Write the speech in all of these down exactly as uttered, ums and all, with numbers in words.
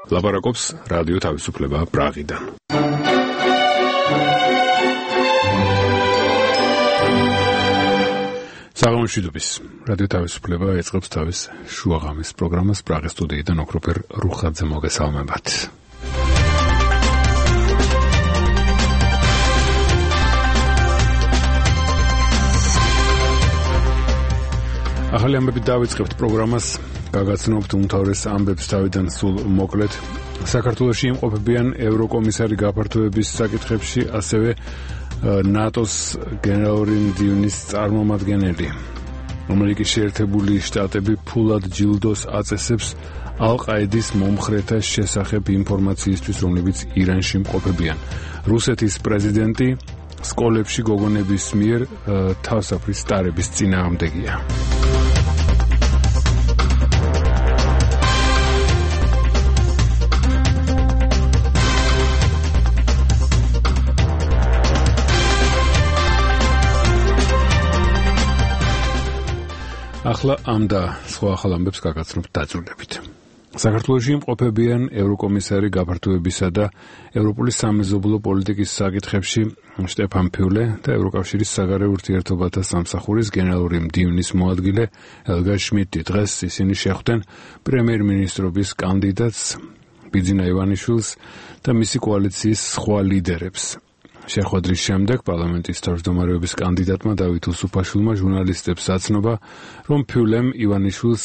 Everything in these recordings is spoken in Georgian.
ლაპარაკობს რადიო თავისუფლება პრაღიდან. საღამოშვიდობის რადიო თავისუფლება ეწყობს თავის შუაღამის პროგრამას პრაღის სტუდიიდან ოქროპერ რუხაძე მოგესალმებათ. ახალი ამბებით დავიწყებთ პროგრამას, გაგაცნობთ უმთავრეს ამბებს თავიდან სულ მოკლედ. საქართველოში იმყოფებიან ევროკომისარი გაფართოების საკითხებში, ასევე ნატოს გენერალური მდივნის წარმომადგენელი. ამერიკის შეერთებული შტატები ფულად ჯილდოს აწესებს ალ-ყაედის მომხრეთა შესახებ ინფორმაციისთვის, რომლებიც ირანში იმყოფებიან. რუსეთის პრეზიდენტი სკოლებში გოგონების მიერ თავსაფრის ტარების წინააღმდეგია. ახლა ამ და სხვა ახალ ამბებს გაგაცნობთ დაწვრილებით. საქართველოში იმყოფებიან ევროკომისარი გაფართოებისა და ევროპული სამეზობლო პოლიტიკის საკითხებში შტეფან ფიულე და ევროკავშირის საგარეო ურთიერთობათა სამსახურის გენერალური მდივნის მოადგილე ელგა შმიდტი. დღეს ისინი შეხვდნენ პრემიერ-მინისტრობის კანდიდატს ბიძინა ივანიშვილს და მისი კოალიციის სხვა ლიდერებს. შეხვედრის შემდეგ პარლამენტის თავმჯდომარეობის კანდიდატმა დავით უსუფაშვილმა ჟურნალისტებს აცნობა, რომ ფიულემ ივანიშვილს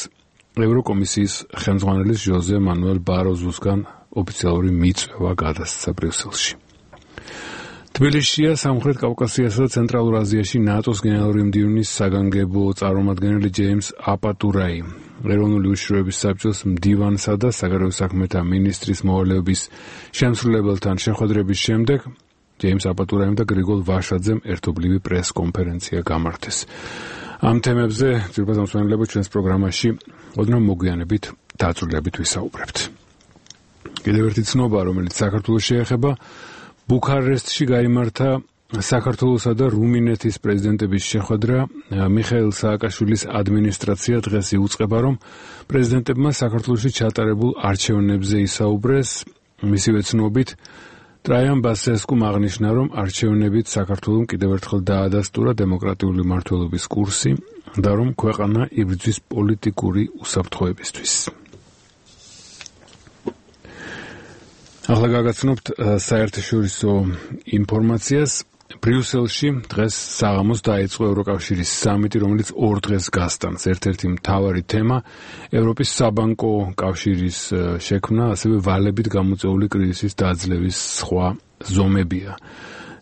ევროკომისიის ხელმძღვანელის ჟოზე მანუელ ბაროზუსგან ოფიციალური მიწვევა გადასცა ბრიუსელში. თბილისშია სამხრეთ კავკასიასა და ცენტრალურ აზიაში ნატოს გენერალური მდივნის საგანგებო წარმომადგენელი ჯეიმს აპატურაი. ეროვნული უშიშროების საბჭოს მდივანსა და საგარეო საქმეთა მინისტრის მოვალეობის შემსრულებელთან შეხვედრების შემდეგ ჯეიმს აპატურაიმ და გრიგოლ ვაშაძემ ერთობლივი პრეს-კონფერენცია გამართეს. ამ თემებზე ძირფას ამსვენებლებო ჩვენს პროგრამაში ოდნავ მოგვიანებით დაწვრილებით ვისაუბრებთ. კიდევ ერთი ცნობა, რომელიც საქართველოს შეეხება, ბუქარესტში გაიმართა საქართველოსა და რუმინეთის პრეზიდენტების შეხვედრა. მიხეილ სააკაშვილის ადმინისტრაცია დღეს იუწყება, რომ პრეზიდენტებმა საქართველოში ჩატარებულ არჩევნებზე ისაუბრეს. მისივე ცნობით ტრაიან ბასესკუმ აღნიშნა, რომ არჩევნებით საქართველომ კიდევ ერთხელ დაადასტურა დემოკრატიული მმართველობის კურსი და რომ ქვეყანა იბრძვის პოლიტიკური უსაფრთხოებისთვის. ახლა გაგაცნობთ საერთაშორისო ინფორმაციას. ბრიუსელში დღეს საღამოს დაიწყო ევროკავშირის სამიტი, რომელიც ორ დღეს გასტანს. ერთ-ერთი მთავარი თემა ევროპის საბანკო კავშირის შექმნა, ასევე ვალებით გამოწვეული კრიზისის დაძლევის სხვა ზომებია.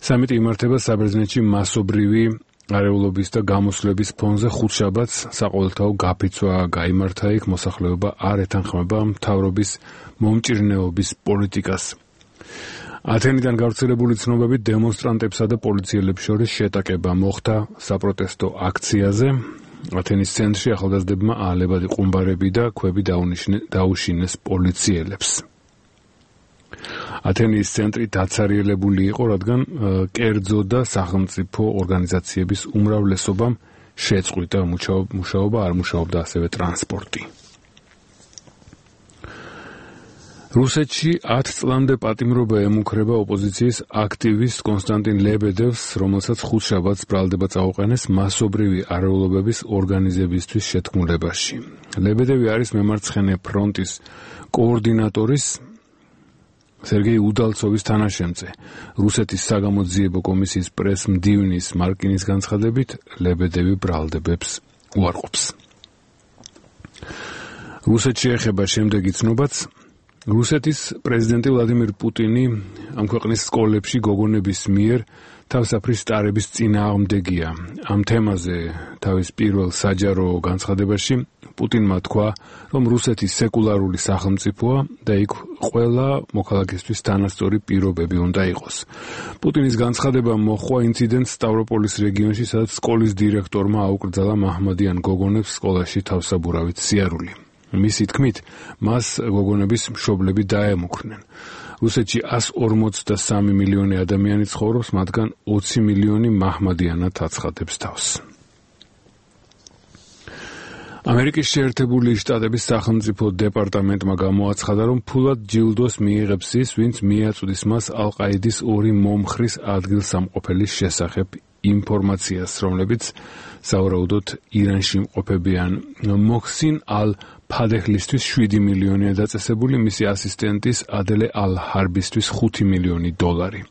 სამიტი იმართება საბერძნეთში მასობრივი არეულობის და გამოსვლების ფონზე. ხუთშაბათს საყოველთაო გაფიცვა გაიმართა იქ, მოსახლეობა არ ეთანხმება მთავრობის მომჭირნეობის პოლიტიკას. ათენიდან გავრცელებული ცნობებით დემონსტრანტებსა და პოლიციელებს შორის შეტაკება მოხდა საპროტესტო აქციაზე. ათენის ცენტრში ახალგაზრდებმა აალებადი ყუმბარები და ქვები დაუშინეს პოლიციელებს. ათენის ცენტრი დაცარიელებული იყო, რადგან კერძო და სახელმწიფო ორგანიზაციების უმრავლესობამ შეწყვიტა მუშაობა, არ მუშაობდა ასევე ტრანსპორტი. რუსეთში ათ წლამდე პატიმრობა ემუქრება ოპოზიციის აქტივისტ კონსტანტინ ლებედევს, რომელსაც ხუთშაბათს ბრალდება წაუყენეს მასობრივი არეულობების ორგანიზებისთვის შეთქმულებაში. ლებედევი არის მემარცხენე ფრონტის კოორდინატორის სერგეი უდალცოვის თანაშემწე. რუსეთის საგამოძიებო კომისიის პრეს-მდივნის მარკინის განცხადებით, ლებედევი ბრალდებებს უარყოფს. რუსეთში ეხება შემდეგი ცნობაც. რუსეთის პრეზიდენტი ვლადიმირ პუტინი ამ ქვეყნის სკოლებში გოგონების მიერ თავსაფრის ტარების წინააღმდეგია. ამ თემაზე თავის პირველ საჯარო განცხადებაში პუტინმა თქვა, რომ რუსეთი სეკულარული სახელმწიფოა და იქ ყველა მოქალაქისთვის თანასწორი პირობები უნდა იყოს. პუტინის განცხადება მოჰყვა ინციდენტს სტავროპოლის რეგიონში, სადაც სკოლის დირექტორმა აუკრძალა მაჰმადიან გოგონებს სკოლაში თავსაბურავით სიარული. მისი თქმით, მას გოგონების მშობლები დაემუქრნენ. რუსეთში εκατს ორმოცდასამი მილიონი ადამიანი ცხოვრობს, მათგან ოცი მილიონი მაჰმადიანად აცხადებს თავს. ამერიკის შეერთებული შტატების სახელმწიფო დეპარტამენტმა გამოაცხადა, რომ ფულად ჯილდოს მიიღებს ის, ვინც მიაწვდის მას ალ-ყაიდის ორი მომხრის ადგილსამყოფელის შესახებ ინფორმაციას, რომლებიც სავარაუდოდ ირანში იმყოფებიან. მოხსინ ალ-ფადეჰლისთვის შვიდი მილიონია დაწესებული, მისი ასისტენტის ადელე ალ-ჰარბისთვის ხუთი მილიონი დოლარი.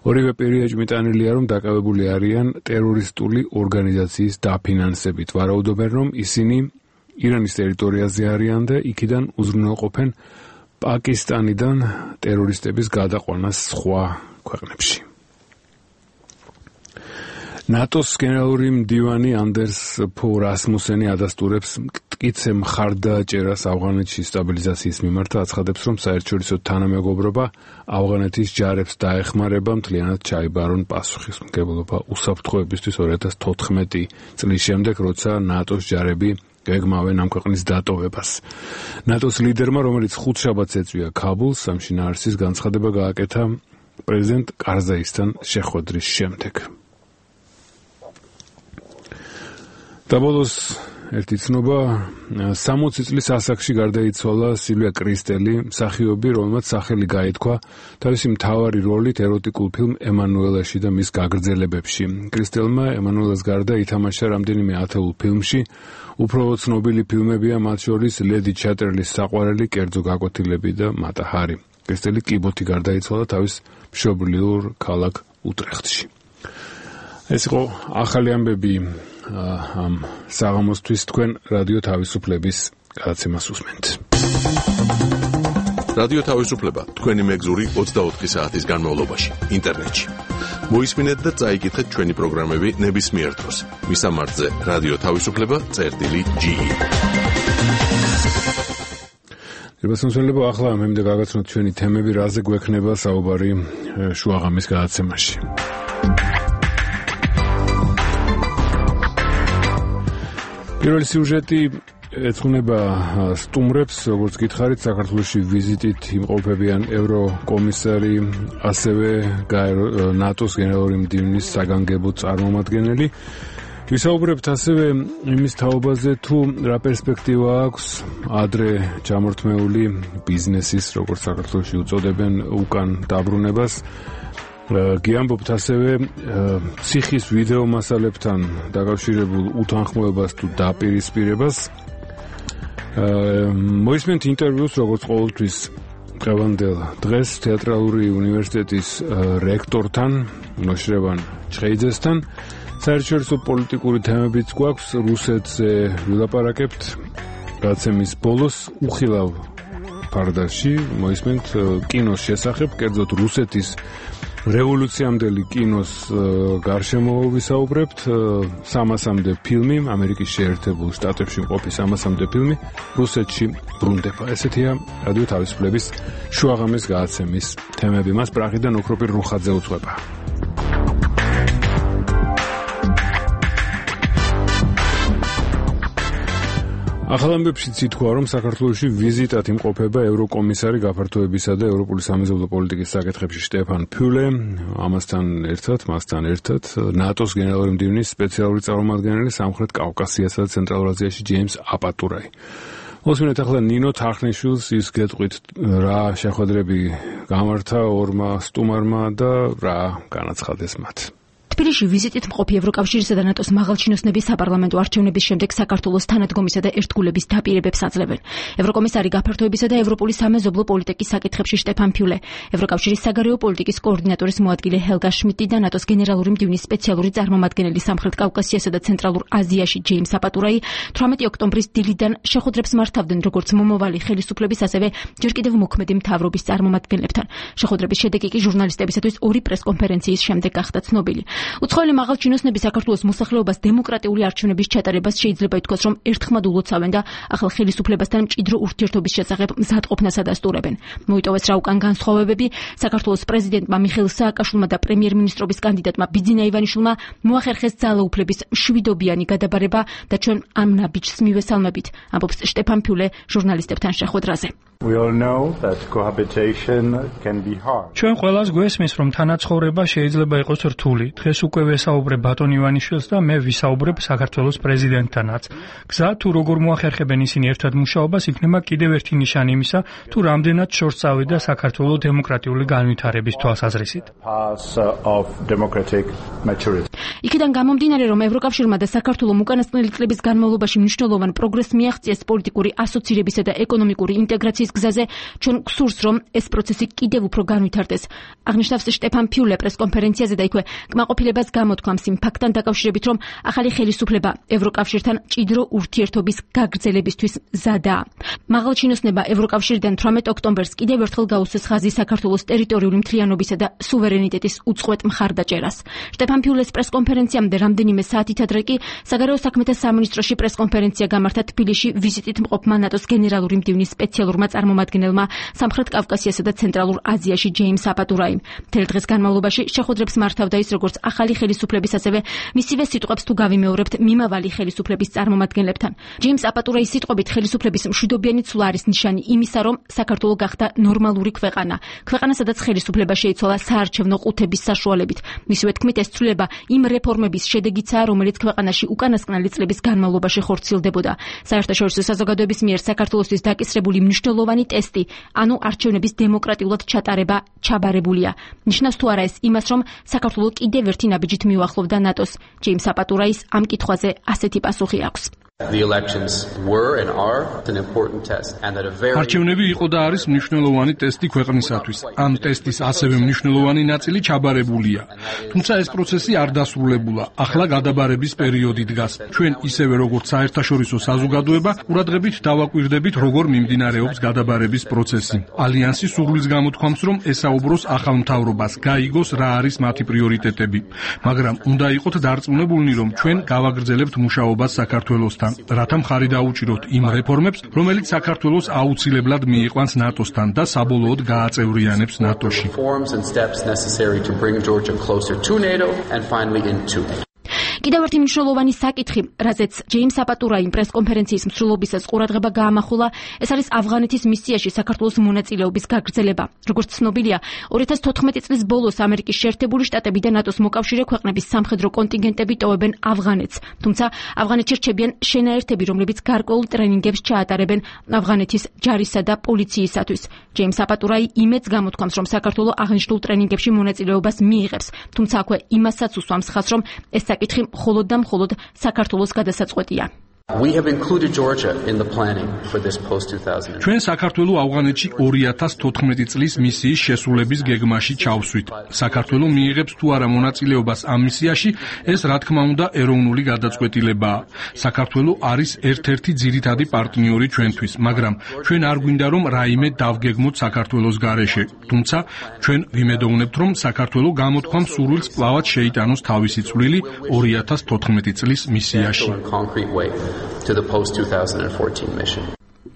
ორივე პირი ეჭვმიტანილია, რომ დაკავებული არიან ტერორისტული ორგანიზაციის დაფინანსებით. ვარაუდობენ, რომ ისინი ირანის ტერიტორიაზე არიან და იქიდან უზრუნველყოფენ პაკისტანიდან ტერორისტების გადაყვანას სხვა ქვეყნებში. ნატოს გენერალური მდივანი ანდერს ფო რასმუსენი ადასტურებს მტკიცე მხარდაჭერას ავღანეთში სტაბილიზაციის მიმართ, აცხადებს, რომ საერთაშორისო თანამეგობრობა ავღანეთის ჯარებს დაეხმარება, მთლიანად ჩაიბარონ პასუხისმგებლობა უსაფრთხოებისთვის ორი ათას თოთხმეტი წლის შემდეგ, როცა ნატოს ჯარები გეგმავენ ამ ქვეყნის დატოვებას. ნატოს ლიდერმა, რომელიც ხუთშაბათს ეწვია ქაბულს, ამ შინაარსის განცხადება გააკეთა პრეზიდენტ კარზაისთან შეხვედრის შემდეგ. დაბოლოს ერთი ცნობა, სამოცი წლის ასაკში გარდაიცვალა სილვია კრისტელი, მსახიობი, რომელმაც სახელი გაითქვა თავისი მთავარი როლით ეროტიკულ ფილმ ემანუელაში და მის გაგრძელებებში. კრისტელმა ემანუელას გარდა ითამაშა რამდენიმე ათეულ ფილმში, უფრო ცნობილი ფილმებია მათ შორის ლედი ჩატერლის საყვარელი, კერძო გაკვეთილები და მატაჰარი. კრისტელი კიბოთი გარდაიცვალა თავის მშობლიურ ქალაქ უტრეხტში. ეს იყო ახალი ამბები ამ საღამოსთვის, თქვენ რადიო თავისუფლების გადაცემას უსმენთ. რადიო თავისუფლება თქვენი მეგზური ოცდაოთხი საათის განმავლობაში ინტერნეტში. მოისმინეთ და წაიკითხეთ ჩვენი პროგრამები ნებისმიერ დროს. მისამართზე რადიო თავისუფლება წერტილი ჯი. რებასმოსვენებო, ახლა მე მინდა გაგაცნოთ ჩვენი თემები, რაზე გვექნება საუბარი შუაღამის გადაცემაში. პირველი სიუჟეტი ეძღვნება სტუმრებს, როგორც გითხარით, საქართველოში ვიზიტით იმყოფებიან ევროკომისარი, ასევე ნატოს გენერალური მდივნის საგანგებო წარმომადგენელი. ვისაუბრებთ ასევე იმის თაობაზე, თუ რა პერსპექტივა აქვს ადრე ჩამორთმეული ბიზნესის, როგორც საქართველოში უწოდებენ, უკან დაბრუნებას. გიამბობთ ასევე ციხის ვიდეო მასალებთან დაკავშირებულ უთანხმოებას თუ დაპირისპირებას. მოისმენთ ინტერვიუს, როგორც ყოველთვის დღევანდელ დღეს თეატრალური უნივერსიტეტის რექტორთან, ნოშრევან ჩხეიძესთან. საერთაშორისო პოლიტიკური თემებიც გვაქვს, რუსეთზე ვილაპარაკებთ. გადაცემის ბოლოს უხილავ ფარდაში მოისმენთ კინოს შესახებ, კერძოდ რუსეთის რევოლუციამდელი კინოს გარშემო ვისაუბრებთ. სამასამდე ფილმი, ამერიკის შეერთებულ შტატებში მყოფი სამასამდე ფილმი რუსეთში ბრუნდება. ესეთია რადიო თავისუფლების შუაღამის გადაცემის თემები. მას პრაღიდან ოქროპირ რუხაძე უძღვება. ახალ ამბებშიც ითქვა, რომ საქართველოში ვიზიტად იმყოფება ევროკომისარი გაფართოებისა და ევროპული სამეზობლო პოლიტიკის საკითხებში შტეფან ფიულე, ამასთან ერთად, მასთან ერთად ნატოს გენერალური მდივნის სპეციალური წარმომადგენელი სამხრეთ კავკასიასა და ცენტრალურ აზიაში ჯეიმს აპატურაი. მოსმინეთ ახლა ნინო თარხნიშვილს, ის გეტყვით რა შეხვედრები გამართა ორმა სტუმარმა და რა განაცხადეს მათ. თბილისში ვიზიტით მყოფი ევროკავშირისა და ნატოს მაღალჩინოსნების საპარლამენტო არჩევნების შემდეგ საქართველოს თანადგომისა და ერთგულების დაპირებებს აძლევენ. ევროკომისარი გაფართოებისა და ევროპული სამეზობლო პოლიტიკის საკითხებში შტეფან ფიულე, ევროკავშირის საგარეო პოლიტიკის კოორდინატორის მოადგილე ჰელგა შმიდტი და ნატოს გენერალური მდივნის სპეციალური წარმომადგენელი სამხრეთ კავკასიასა და ცენტრალურ აზიაში ჯეიმს აპატურაი თვრამეტი ოქტომბრის დილიდან შეხვედრებს მართავდნენ როგორც მომავალი ხელისუფლების, ასევე ჯერ კიდევ მოქმედი მთავრობის წარმომადგენლებთან. შეხვედრების შედეგი კი ჟურნალისტებისათვის ორი პრესკონფერენციის შემდეგ გახდა ცნობილი. უცხოელი მაღალჩინოსნები საქართველოს მოსახლეობას დემოკრატიული არჩევნების ჩატარებას შეიძლება ითქვას, რომ ერთხმად ულოცავენ და ახალ ხელისუფლებასთან მჭიდრო ურთიერთობის შესახებ მზადყოფნას ადასტურებენ. მოიტოვეს რა უკან განსხვავებები, საქართველოს პრეზიდენტმა მიხეილ სააკაშვილმა და პრემიერ-მინისტრობის კანდიდატმა ბიძინა ივანიშვილმა მოახერხეს ძალაუფლების მშვიდობიანი გადაბარება და ჩვენ ამ ნაბიჯს მივესალმებით, ამბობს შტეფან ფიულე ჟურნალისტებთან შეხვედრაზე. We all know that cohabitation can be hard. ჩვენ ყველას გვესმის, რომ თანაცხოვრება შეიძლება იყოს რთული. დღეს უკვე ვესაუბრებ ბატონ ივანიშვილს და მე ვისაუბრებ საქართველოს პრეზიდენტთანაც. გზა თუ როგორ მოახერხებენ ისინი ერთად მუშაობას, იქნება კიდევ ერთი ნიშანი იმისა, თუ რამდენად შორს წავიდა საქართველოს დემოკრატიული განვითარების თვალსაზრისით. იქიდან გამომდინარე, რომ ევროკავშირმა და საქართველოს უკანასკნელი წლების განმავლობაში მნიშვნელოვან პროგრესს მიაღწიეს პოლიტიკური ასოცირებისა და ეკონომიკური ინტეგრაციის გზაზე, ჩვენ გვსურს, რომ ეს პროცესი კიდევ უფრო განვითარდეს. აღნიშნავს შტეფან ფიულე პრესკონფერენციაზე და იქვე კმაყოფილებას გამოთქვამს იმ ფაქტთან დაკავშირებით, რომ ახალი ხელისუფლება ევროკავშირთან მჭიდრო ურთიერთობის გაგრძელებისთვის მზადაა. მაღალჩინოსნება ევროკავშირიდან თვრამეტ ოქტომბერს კიდევ ერთხელ გაუსვეს ხაზი საქართველოს ტერიტორიული მთლიანობისა და სუვერენიტეტის უწყვეტ მხარდაჭერას. შტეფან ფიულეს პრესკონფერენციამდე რამდენიმე საათით ადრე კი საგარეო საქმეთა სამინისტროში პრესკონფერენცია გამართა თბილისში ვიზიტით მყოფმა ნატოს გენერალური მდივნის სპეციალურმა წარმომადგენელმა სამხრეთ კავკასიასა და ცენტრალურ აზიაში ჯეიმს აპატურაიმ. მთელ დღეს განმავლობაში შეხვედრებს მართავდა ის როგორც ახალი ხელისუფლების, ასევე მისივე სიტყვებს თუ გავიმეორებთ მიმავალი ხელისუფლების წარმომადგენლებთან. ჯეიმს აპატურაის სიტყვებით ხელისუფლების მშვიდობიანი ცვლა არის ნიშანი იმისა, რომ საქართველო გახდა ნორმალური ქვეყანა. ქვეყანა, სადაც ხელისუფლება შეიცვალა საარჩევნო ყუთების საშუალებით. მისივე თქმით, ეს ცვლილება იმ რეფორმების შედეგიცაა, რომელიც ქვეყანაში უკანასკნელი წლების განმავლობაში ხორციელდებოდა. საერთაშორისო საზოგადოების მიერ საქართველოსთვის დაკისრებული მნიშვნელოვანი ტესტი, ანუ არჩევნების დემოკრატიულად ჩატარება ჩაბარებულია. ნიშნავს თუ არა ეს იმას, რომ საქართველო კიდევ ერთი ნაბიჯით მიუახლოვდა ნატოს. ჯეიმს აპატურაის ამ კითხვაზე ასეთი პასუხი აქვს. არჩევნები იყო და არის მნიშვნელოვანი ტესტი ქვეყნისათვის. ამ ტესტის ასევე მნიშვნელოვანი ნაწილი ჩაბარებულია. თუმცა ეს პროცესი არ დასრულებულა. ახლა გადაბარების პერიოდი დგას. ჩვენ ისევე როგორც საერთაშორისო საზოგადოება ყურადღებით დავაკვირდებით, როგორ მიმდინარეობს გადაბარების პროცესი. ალიანსი სურვილს გამოთქვამს, რომ ესაუბროს ახალ მთავრობას, გაიგოს რა არის მათი პრიორიტეტები. მაგრამ უნდა იყოთ დარწმუნებულნი, რომ ჩვენ გავაგრძელებთ მუშაობას საქართველოსთან, რათა მხარი დაუჭიროთ იმ რეფორმებს, რომელიც საქართველოს აუცილებლად მიიყვანს ნატოსთან და საბოლოოდ გააწევრიანებს ნატოში. კიდევ ერთი მნიშვნელოვანი საკითხი, რაზეც ჯეიმს აპატურაიმ პრესკონფერენციის მსვლელობისას ყურადღება გაამახვილა, ეს არის ავღანეთის მისიაში საქართველოს მონაწილეობის გაგრძელება. როგორც ცნობილია, ორი ათას თოთხმეტი წლის ბოლოს ამერიკის შეერთებული შტატები და ნატოს მოკავშირე ქვეყნების სამხედრო კონტინგენტები ტოვებენ ავღანეთს. თუმცა ავღანეთში რჩებიან შენაერთები, რომლებიც გარკვეულ ტრენინგებს ჩაატარებენ ავღანეთის ჯარისა და პოლიციისათვის. ჯეიმს აპატურაი იმედს გამოთქვამს, რომ საქართველო აღნიშნულ ტრენინგებში მონაწილეობას მიიღებს. თუმცა აქვე იმასაც უსვამს ხაზს, რომ ეს საკითხი მხოლოდ და მხოლოდ საქართველოს გადასაწყვეტია. ჩვენ საქართველოს ავღანეთში ორი ათას თოთხმეტი წლის მისიის შესრულების გეგმაში ჩავსვით. საქართველო მიიღებს თუ არა მონაწილეობას ამ მისიაში, ეს რა თქმა უნდა ეროვნული გადაწყვეტილებაა. საქართველო არის ერთ-ერთი ძირითადი პარტნიორი ჩვენთვის, მაგრამ ჩვენ არ გვინდა რომ რაიმე დავგეგმოთ საქართველოს გარეშე. თუმცა ჩვენ ვიმედოვნებთ, რომ საქართველო გამოთქვამს სურვილს კვლავად შეიტანოს თავისი წვლილი ორი ათას თოთხმეტი წლის მისიაში. to the post two thousand fourteen mission.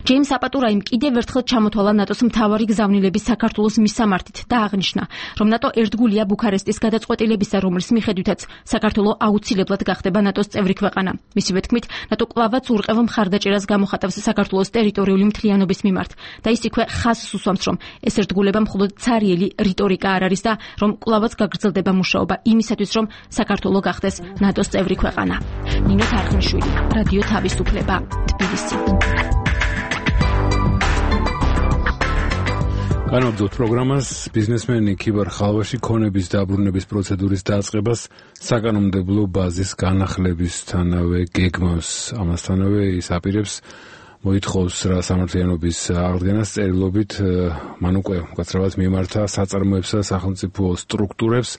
ჯეიმს აპატურაიმ კიდევ ერთხელ ჩამოთვალა ნატოს მთავარი გზავნილების საქართველოს მისამართით და აღნიშნა, რომ ნატო ერთგულია ბუქარესტის გადაწყვეტილებისა, რომლის მიხედვითაც საქართველო აუცილებლად გახდება ნატოს წევრი ქვეყანა. მისივე თქმით, ნატო კვლავაც ურყევ მხარდაჭერას გამოხატავს საქართველოს ტერიტორიული მთლიანობის მიმართ და ის იქვე ხაზს უსვამს, რომ ეს ერთგულება მხოლოდ ცარიელი რიტორიკა არ არის და რომ კვლავაც გაგრძელდება მუშაობა იმისათვის, რომ საქართველო გახდეს ნატოს წევრი ქვეყანა. ნინო თარხნიშვილი, რადიო თავისუფლება, თბილისი. განვაგრძობთ პროგრამას ბიზნესმენი ქიბარ ხალვაში ქონების დაბრუნების პროცედურის დაწყებას საკანონმდებლო ბაზის განახლებისთანავე გეგმავს. ამასთანავე ის აპირებს მოითხოვს რა სამართლიანობის აღდგენას წერილობით მან უკვე მკაცრავად მიემართა საწარმოებსა სახელმწიფო სტრუქტურებს,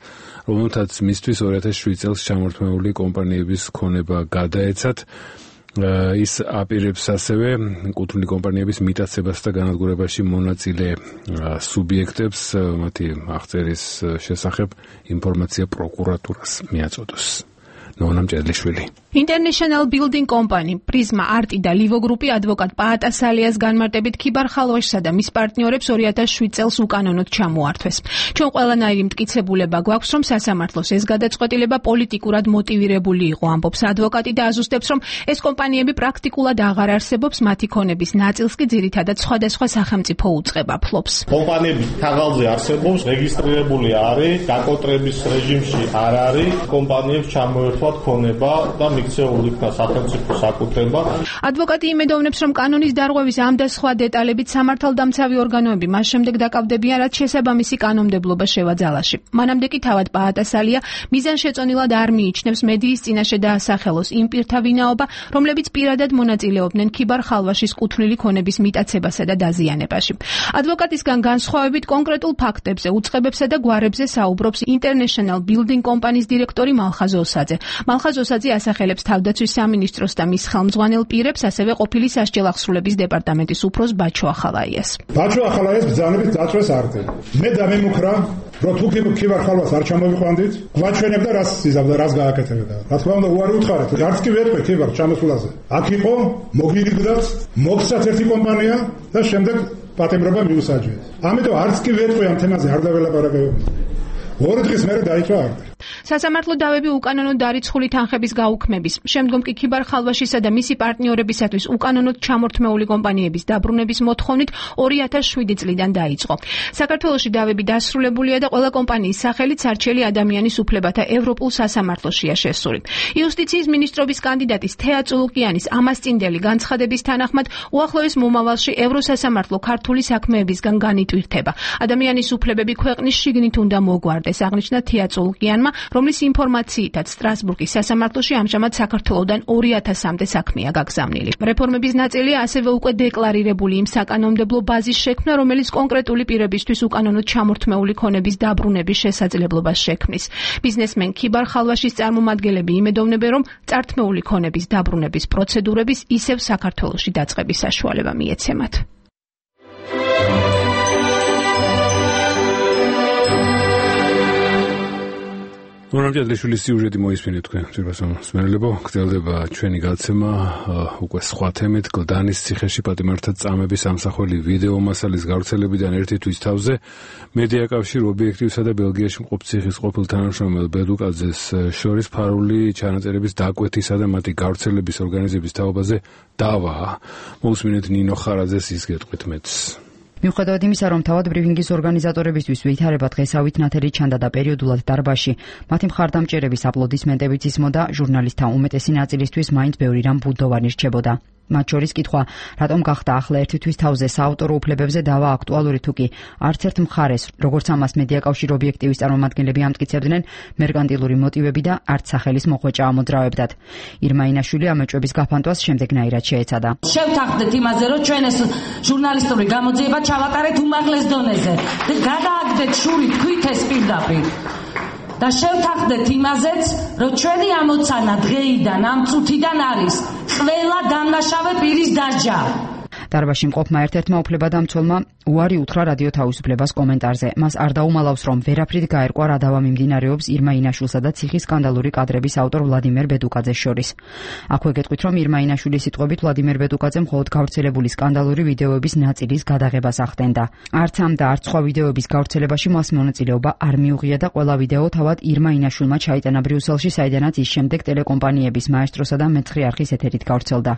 რომელთაც მისთვის ორი ათას შვიდ წელს ჩამორთმეული კომპანიების ქონება გადაეცათ. ის აპირებს ასევე კუთვნილი კომპანიების მიტაცებას და განადგურებაში მონაწილე სუბიექტებს მათი აღწერის შესახებ ინფორმაცია პროკურატურას მიაწოდოს. ნონა მჭედლიშვილი. International Building Company, Prisma Art და Livo Group-ი ადვოკატ პაატა სალიას განმარტებით ქიბარ ხალვაშსა და მის პარტნიორებს ორი ათას შვიდ წელს უკანონოდ ჩამოართვეს. ჩვენ ყველანაირი მტკიცებულება გვაქვს, რომ სასამართლოს ეს გადაწყვეტილება პოლიტიკურად მოტივირებული იყო, ამბობს ადვოკატი და აზუსტებს, რომ ეს კომპანიები პრაქტიკულად აღარ არსებობს, მათი ქონების ნაწილს კი ძირითადად სხვადასხვა სახელმწიფო უწყება ფლობს. კომპანიები თაღალზე არსებობს, რეგისტრირებული არის, გაკონტრების რეჟიმში არ არის, კომპანიებს ჩამოერთვათ ქონება და მიქცეული იქნა სახელმწიფო საკუთრება. ადვოკატი იმედოვნებს, რომ კანონის დარღვევის ამ და სხვა დეტალებით სამართალდამცავი ორგანოები მას შემდეგ დაკავდებიან, რაც შესაბამისი კანონმდებლობა შევაძალაში. მანამდე კი თავად პაატა სალია მიზანშეწონილად არ მიიჩნევს მედიის წინაშე დაასახელოს იმ პირთა ვინაობა, რომლებიც პირადად მონაწილეობდნენ ქიბარ ხალვაშის კუთვნილი ქონების მიტაცებასა და დაზიანებაში. ადვოკატისგან განსხვავებით კონკრეტულ ფაქტებზე, უწყებებსა და გვარებზე საუბრობს International Building Company-ს დირექტორი მალხაზ ოსაძე. მალხაზ ოსაძე ასახელებს თავდაცვის სამინისტროს და მის ხელმძღვანელ პირებს, ასევე ყოფილი სასჯელ აღსრულების დეპარტამენტის უფროს ბაჩო ახალაიას. ბაჩო ახალაიას ბრძანებით დაწვეს არტი. მე დამემუქრა, რომ თუ ქიბარ ხალვას არ ჩამოვიყვანდით, გვაჩვენებდა რას იზავდა, რას გააკეთებდა. რა თქმა უნდა, უარი უთხარით, არც კი ვეტყვი ქიბარ ჩამოსვლაზე. აქ იყო მოგირიგდათ, მოგცათ ერთი კომპანია და შემდეგ პატიმრობა მიუსაჯეს. ამიტომ არც კი ვეტყვი ამ თემაზე არ დაველაპარაკებოდი. ორი დღის მერე დაიწყო არტი. სასამართლო დავები უკანონოდ დარიცხული თანხების გაუქმების, შემდგომ კი ქიბარ ხალვაშისა და მისი პარტნიორებისათვის უკანონოდ ჩამორთმეული კომპანიების დაბრუნების მოთხოვნით ორი ათას შვიდი წლიდან დაიწყო. საქართველოში დავები დასრულებულია და ყველა კომპანიის სახელით სარჩელი ადამიანის უფლებათა ევროპულ სასამართლოშია შესული. იუსტიციის მინისტრობის კანდიდატის თეა წულუკიანის ამასწინდელი განცხადების თანახმად უახლოეს მომავალში ევროსასამართლო ქართული საქმეებისგან განიტვირთება. ადამიანის უფლებები ქვეყნის შიგნით უნდა მოგვარდეს, აღნიშნა თეა წულუკიანმა, რომლის ინფორმაციითაც სტრასბურგის სასამართლოში ამჟამად საქართველოდან ორი ათასამდე საქმეა გაგზავნილი. რეფორმების ნაწილია ასევე უკვე დეკლარირებული იმ საკანონმდებლო ბაზის შექმნა, რომელიც კონკრეტული პირებისთვის უკანონოდ ჩამორთმეული ქონების დაბრუნების შესაძლებლობას შექმნის. ბიზნესმენ ქიბარ ხალვაშის წარმომადგენლები იმედოვნებენ, რომ წართმეული ქონების დაბრუნების პროცედურების ისევ საქართველოში დაწყების საშუალება მიეცემათ. ნონა მჭედლიშვილის სიუჟეტი მოისმინეთ თქვენ, ძვირფასო მსმენელებო, გრძელდება ჩვენი გაცემა უკვე სხვა თემით, გლდანის ციხეში პატიმართა წამების ამსახველი ვიდეო მასალის გავრცელებიდან ერთი თვის თავზე მედიაკავშირ ობიექტივსა და ბელგიაში მყოფ ციხის ყოფილ თანამშრომელ ბედუკაძეს შორის ფარული ჩანაწერების დაკვეთისა და მათი გავრცელების ორგანიზების თაობაზე დავა. მოусმინეთ ნინო ხარაძეს ის გეტყვით მეც. მიუხედავად იმისა, რომ თავად ბრიფინგის ორგანიზატორებისთვის ვითარება დღესავით ნათელი ჩანდა და პერიოდულად დარბაზში, მათი მხარდამჭერების აპლოდისმენტებიც ისმოდა, ჟურნალისტთა უმეტესი ნაწილისთვის მაინც ბევრი რამ ბუდოვანი რჩებოდა. მათ შორის კითხვა, რატომ გახდა ახლა ერთი თვის თავზე საავტორო უფლებებზე დავა აქტუალური თუ კი არც ერთ მხარეს, როგორც ამას მედიაკავშირ ობიექტივის წარმომადგენლები ამტკიცებდნენ, მერკანტილური მოტივები და არც სახელის მოხვეჭა ამოძრავებდათ. ირმა ინაშვილი ამ ეჭვების გაფანტვას შემდეგნაირად შეეცადა. შევთანხმდეთ იმაზე, რომ ჩვენ ეს ჟურნალისტური გამოძიება ჩავატარეთ უმაღლეს დონეზე და გადააგდეთ შური თქვით ეს პირდაპირ. და შევთანხმდეთ იმაზეც, რომ ჩვენი ამოცანა დღეიდან ამ წუთიდან არის ყველა დამნაშავე პირის დასჯა. დარბაზში მყოფმა ერთ-ერთმა უფლებადამცველმა უარი უთხრა რადიო თავისუფლებას კომენტარზე. მას არ დაუმალავს, რომ ვერაფრით გაერკვა რა დავა მიმდინარეობს ირმა ინაშვილსა და ციხის სკანდალური კადრების ავტორ ვლადიმერ ბედუკაძეს შორის. აქვე გეტყვით, რომ ირმა ინაშვილის სიტყვებით ვლადიმერ ბედუკაძე მხოლოდ გავრცელებული სკანდალური ვიდეოების ნაწილის გადაღებას ახდენდა. არც ამ და არც სხვა ვიდეოების გავრცელებაში მას მონაწილეობა არ მიუღია და ყველა ვიდეო თავად ირმა ინაშვილმა ჩაიტანა ბრიუსელში, საიდანაც ის შემდეგ ტელეკომპანიების მაესტროსა და მეცხრე არხის ეთერით გავრცელდა.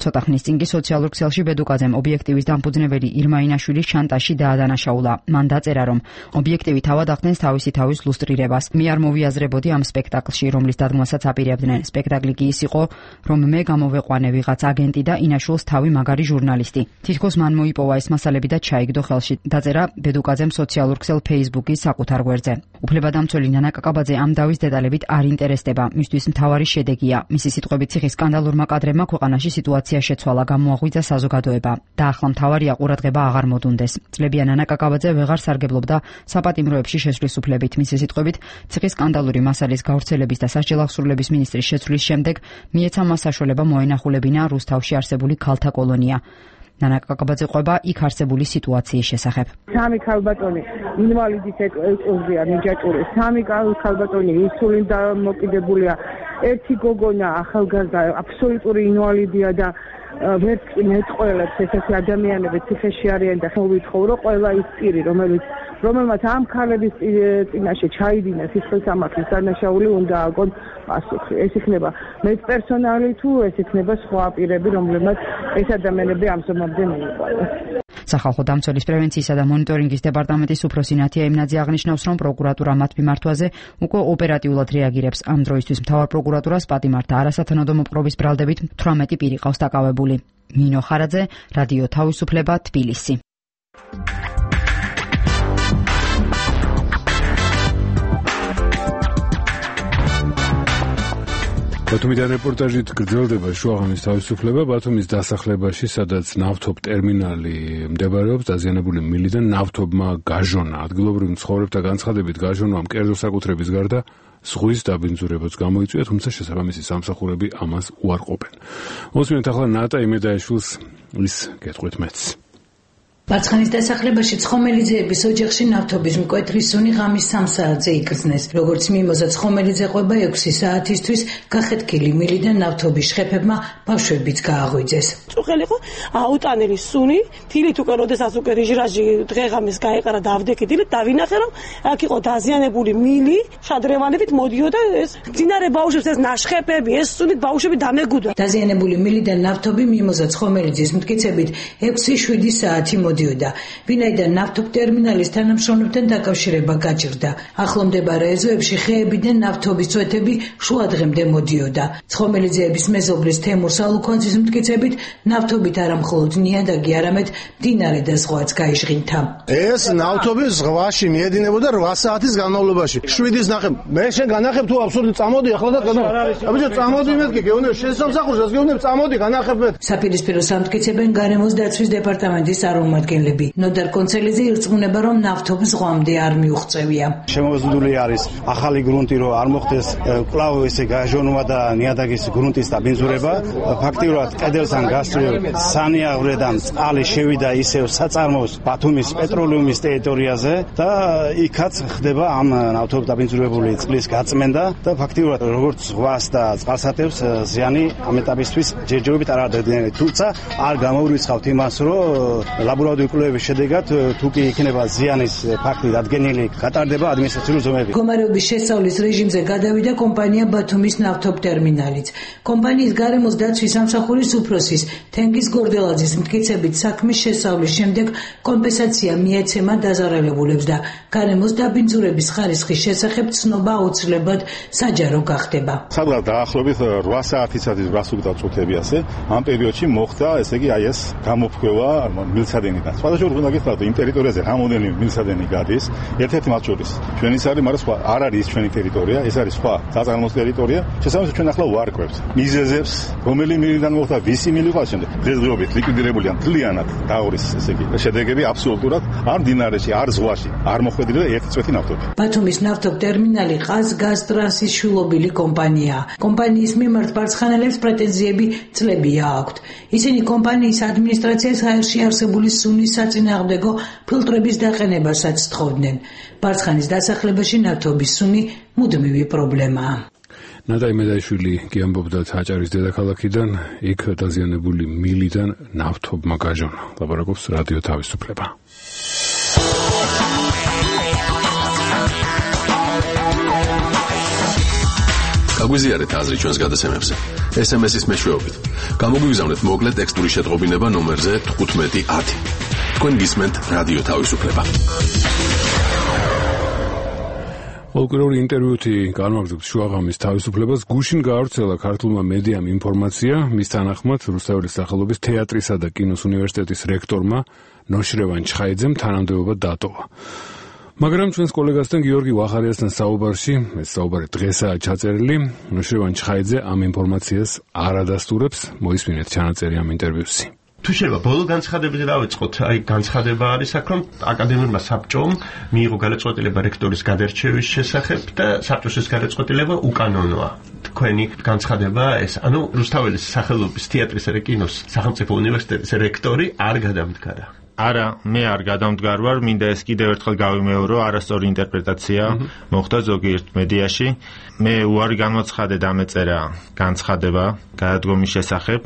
ცოტა ხნის წინ კი სოციალურ ქსელში ბედუკაძემ ობიექტივის დამფუძნებელი ირმა ინაშვილის შანტაჟში დაადანაშაულა. მან დაწერა, რომ ობიექტივი თავად ახდენს თავისი თავის ლუსტრირებას. მე არ მოვიაზრებოდი ამ სპექტაკლში, რომლის დადგმასაც აპირებდნენ. სპექტაკლი კი ის იყო, რომ მე გამოვეყვანე ვიღაც აგენტი და ინაშვილს თავი მაგარი ჟურნალისტი. თითქოს მან მოიპოვა ეს მასალები და ჩაიგდო ხელში. დაწერა ბედუკაძემ სოციალურ ქსელ Facebook-ის საკუთარ გვერდზე. უფლებადამცველი ნანა კაკაბაძე ამ დავის დეტალებით არ ინტერესდება. მისთვის მთავარი შედეგია. მისი სიტყვებით ციხის სკანდალურმა კადრებმა ქვეყანაში სიტუაცია შეცვალა, გამოაღვიძა საზოგადოება. და ახლა მთავარია ყურადღება აღარ მოდუნდეს. წლებია ნანა კაკაბაძე ვეღარ სარგებლობდა საპატიმროებში შესვლის უფლებით. მისი სიტყვებით, ციხის სკანდალური მასალის გავრცელების და სასჯელ აღსრულების მინისტრის შეცვლის შემდეგ მიეცა მას საშუალება მოენახულებინა რუსთავში არსებული ქალთა კოლონია. ნანა კაკაბაძე ყვება იქ არსებული სიტუაციის შესახებ. სამი ქალბატონი ინვალიდის ეკოზია ნიჭაჭური, სამი ქალბატონი ინსულინ დამოკიდებულია, ერთი გოგონა ახალგაზრდა აბსოლუტური ინვალიდია და ვერც კი მეტყველებს ესეთი ადამიანები ციხეში არიან და ხელვითხოვრო ყველა ის პირი რომელიც რომელმაც ამ ქალების წინაშე ჩაიდინა სისხლისამართლის დანაშაული უნდა აგონ პასუხი. ეს იქნება მეპერსონალი თუ ეს იქნება სხვა პირები, რომლებმაც ეს ადამიანები ამზომამდე მიიყვანეს. სახალხო დამცველის პრევენციისა და მონიტორინგის დეპარტამენტის უფროსი ნათია იმნაძე აღნიშნავს, რომ პროკურატურა მათ მიმართვაზე უკვე ოპერატიულად რეაგირებს. ამ დროისთვის მთავარ პროკურატურას პატიმართა არასათანადო მოპყრობის ბრალდებით თვრამეტი პირი ყავს დაკავებული. ნინო ხარაძე, რადიო თავისუფლება, თბილისი. ბათუმიდან რეპორტაჟით გრძელდება შუაღამის თავისუფლება. ბათუმის დასახლებაში, სადაც ნავთობ ტერმინალი მდებარეობს, დაზიანებული მილიდან ნავთობმა გაჟონა. ადგილობრივ მცხოვრებთა განცხადებით გაჟონვამ კერძო საკუთრების გარდა ზღვის დაბინძურებაც გამოიწვია, თუმცა შესაბამისი სამსახურები ამას უარყოფენ. მოსმინეთ ახლა ნატა იმედაიშვილს, ის გეტყვით მეც. მარცხენის დასახლებაში ცხომელიძეების ოჯახში ნავთობის მკვეთრი სუნი ღამის სამ საათზე იგრძნეს. როგორც მიმოზა ცხომელიძე ყვება ექვსი საათისთვის გახეთქილი მილიდან ნავთობის შხეფებმა ბავშვებიც გააღვიძეს. წუხელი იყო აუტანელი სუნი, თილით უკვე როდესაც უკვე რიჟრაჟი დღეღამის გაეყარა და ავდექიდილი, დავინახე რომ აქ იყო დაზიანებული მილი, შადრევანებით მოდიოდა ეს ძინარე ბავშვებს ეს ნაშხეფები, ეს სუნი ბავშვები დამეგუდა. დაზიანებული მილიდან ნავთობი მიმოზა ცხომელიძის მტკიცებით ექვსი შვიდი საათი მოდიოდა. ვინაიდან ნავთობ ტერმინალის თანამშრომლებთან დაკავშირება გაჭირდა. ახლო მდებარე ეზოებში ხეებიდან ნავთობის წვეთები შუადღემდე მოდიოდა. ცხომელიძეების მეზობლის თემურ სალუქვანძის მტკიცებით ნავთობით არა მხოლოდ ნიადაგი, არამედ მდინარე და ზღვაც გაიჟღინთა. ეს ნავთობი ზღვაში მიედინებოდა რვა საათის განმავლობაში. შვიდის ნახე. მე შენ განახებ თუ აბსურდი წამოდი ახლა და განახებ. აბიჯო წამოდი მეთქი, გეუბნები შესამსახურს, გეუბნები წამოდი განახებ მე. საპირისპირო სამტკიცებენ გარემოს დაცვის დეპარტამენტის წარმომადგენლები. ნოდარ კონცელიძე ირწმუნება, რომ ნავთობი ზღვამდე არ მიუღწევია. შემოზღუდული არის ახალი გრუნტი, რომ არ მოხდეს კვლავ ესე გაჟონვა და ნიადაგის გრუნტის დაბინძურება. ფაქტიურად კედელთან გასწრილ სანიაღვრედან წყალი შევიდა ისევ საწარმოს ბათუმის პეტროლიუმის ტერიტორიაზე და იქაც ხდება ამ ნავთობ დაბინძურებული წყლის გაწმენდა და ფაქტიურად როგორც ზღვას და წყალსატევს ზიანი ამ ეტაპისთვის ჯერჯერობით არ აღდგენილი. თუმცა არ გამოვრიცხავთ იმას, რომ ლაბორატორიული კვლევების შედეგად თუ კი იქნება ზიანის ფაქტი დადგენილი, გატარდება ადმინისტრაციული ზომები. მდგომარეობის შესწავლის რეჟიმზე გადავიდა კომპანია ბათუმის ნავთობ ტერმინალიც. კომპანიის გარემოს დაცვის სამსახურის უფროსის თენგიზ გორდელაძის მტკიცებით საქმის შესწავლის შემდეგ კომპენსაცია მიეცემა დაზარალებულებს და გარემოს დაბინძურების ხარისხის შესახებ ცნობა აუცილებლად საჯარო გახდება. სადღაც დაახლოებით რვა საათისათვის რასუკდა წუთები ასე ამ პერიოდში მოხდა ესე იგი აი ეს გამოფხვევა მილსადენიდან. სხვადასხვა უნდა გითხრათ, იმ ტერიტორიაზე რამოდენიმე მილსადენი გადის, ერთ-ერთი მათ შორის ჩვენი არის, მაგრამ სხვა არ არის ის ჩვენი ტერიტორია, ეს არის სხვა საწარმოს ტერიტორია. შესაბამისად ჩვენ ახლა ვარკვევთ მიზეზებს, რომელი მილიდან მოხდა, ვისი მილი ყავს შემდეგ. დღესდღეობით ლიკვიდირებულია მთლიანად დაურის ესე იგი შედეგები აბსოლუტურად არ მდინარეში, არ ზღვაში, არ მოხვედრილი ერთი წვეთი ნავთობი. ბათუმის ნავთობ ტერმინალი ყაზგაზტრანსის შვილობილი კომპანიაა. კომპანიის მიმართ მარცხენელებს პრეტენზიები წლებია აქვთ. ისინი კომპანიის ადმინისტრაციას აერში არსებული სუნის საწინააღმდეგო ფილტრების დაყენებასაც თხოვდნენ. მარცხენის დასახლებაში ნავთობის სუნი მუდმივი პრობლემაა. ნატა იმედაიშვილი კი ამბობდა აჭარის დედაქალაქიდან, იქ დაზიანებული მილიდან ნავთობმა გაჟონა. ლაპარაკობს რადიო თავისუფლება. გაგვიზიარეთ აზრი ჩვენს გადაცემებზე. ეს ემ ეს-ის მეშვეობით. გამოგვიგზავნეთ მოკლე ტექსტური შეტყობინება ნომერზე თხუთმეტი ათი. თქვენ გისმენთ რადიო თავისუფლება. პოლკურორი ინტერვიუთი განმაგზავნებს შუაღამის თავისუფლებას. გუშინ გაავრცელა ქართულმა მედიამ ინფორმაცია, მის თანახმად რუსთაველის სახელობის თეატრისა და კინოს უნივერსიტეტის რექტორმა ნოშრევან ჩხაიძემ თანამდებობა დატოვა. მაგრამ ჩვენს კოლეგასთან გიორგი ვახარიასთან საუბარში, ეს საუბარი დღესაა ჩაწერილი, ნოშრევან ჩხაიძე ამ ინფორმაციას არ ადასტურებს. მოისმინეთ ჩანაწერი ამ ინტერვიუსი. თუ შეიძლება ბოლო განცხადებაზე დავიწყოთ, აი განცხადება არის აქ, რომ აკადემიურმა საბჭომ მიიღო გადაწყვეტილება რექტორის გადარჩევის შესახებ და საბჭოს ეს გადაწყვეტილება უკანონოა. თქვენი განცხადება ეს, ანუ რუსთაველის სახელობის თეატრისა და კინოს სახელმწიფო უნივერსიტეტის რექტორი არ გადამდგარა. არა, მე არ გადამდგარ ვარ, მინდა ეს კიდევ ერთხელ გავიმეორო, არასწორი ინტერპრეტაცია მოხდა ზოგიერთ მედიაში. მე უარი განვაცხადე დამეწერა განცხადება გადადგომის შესახებ.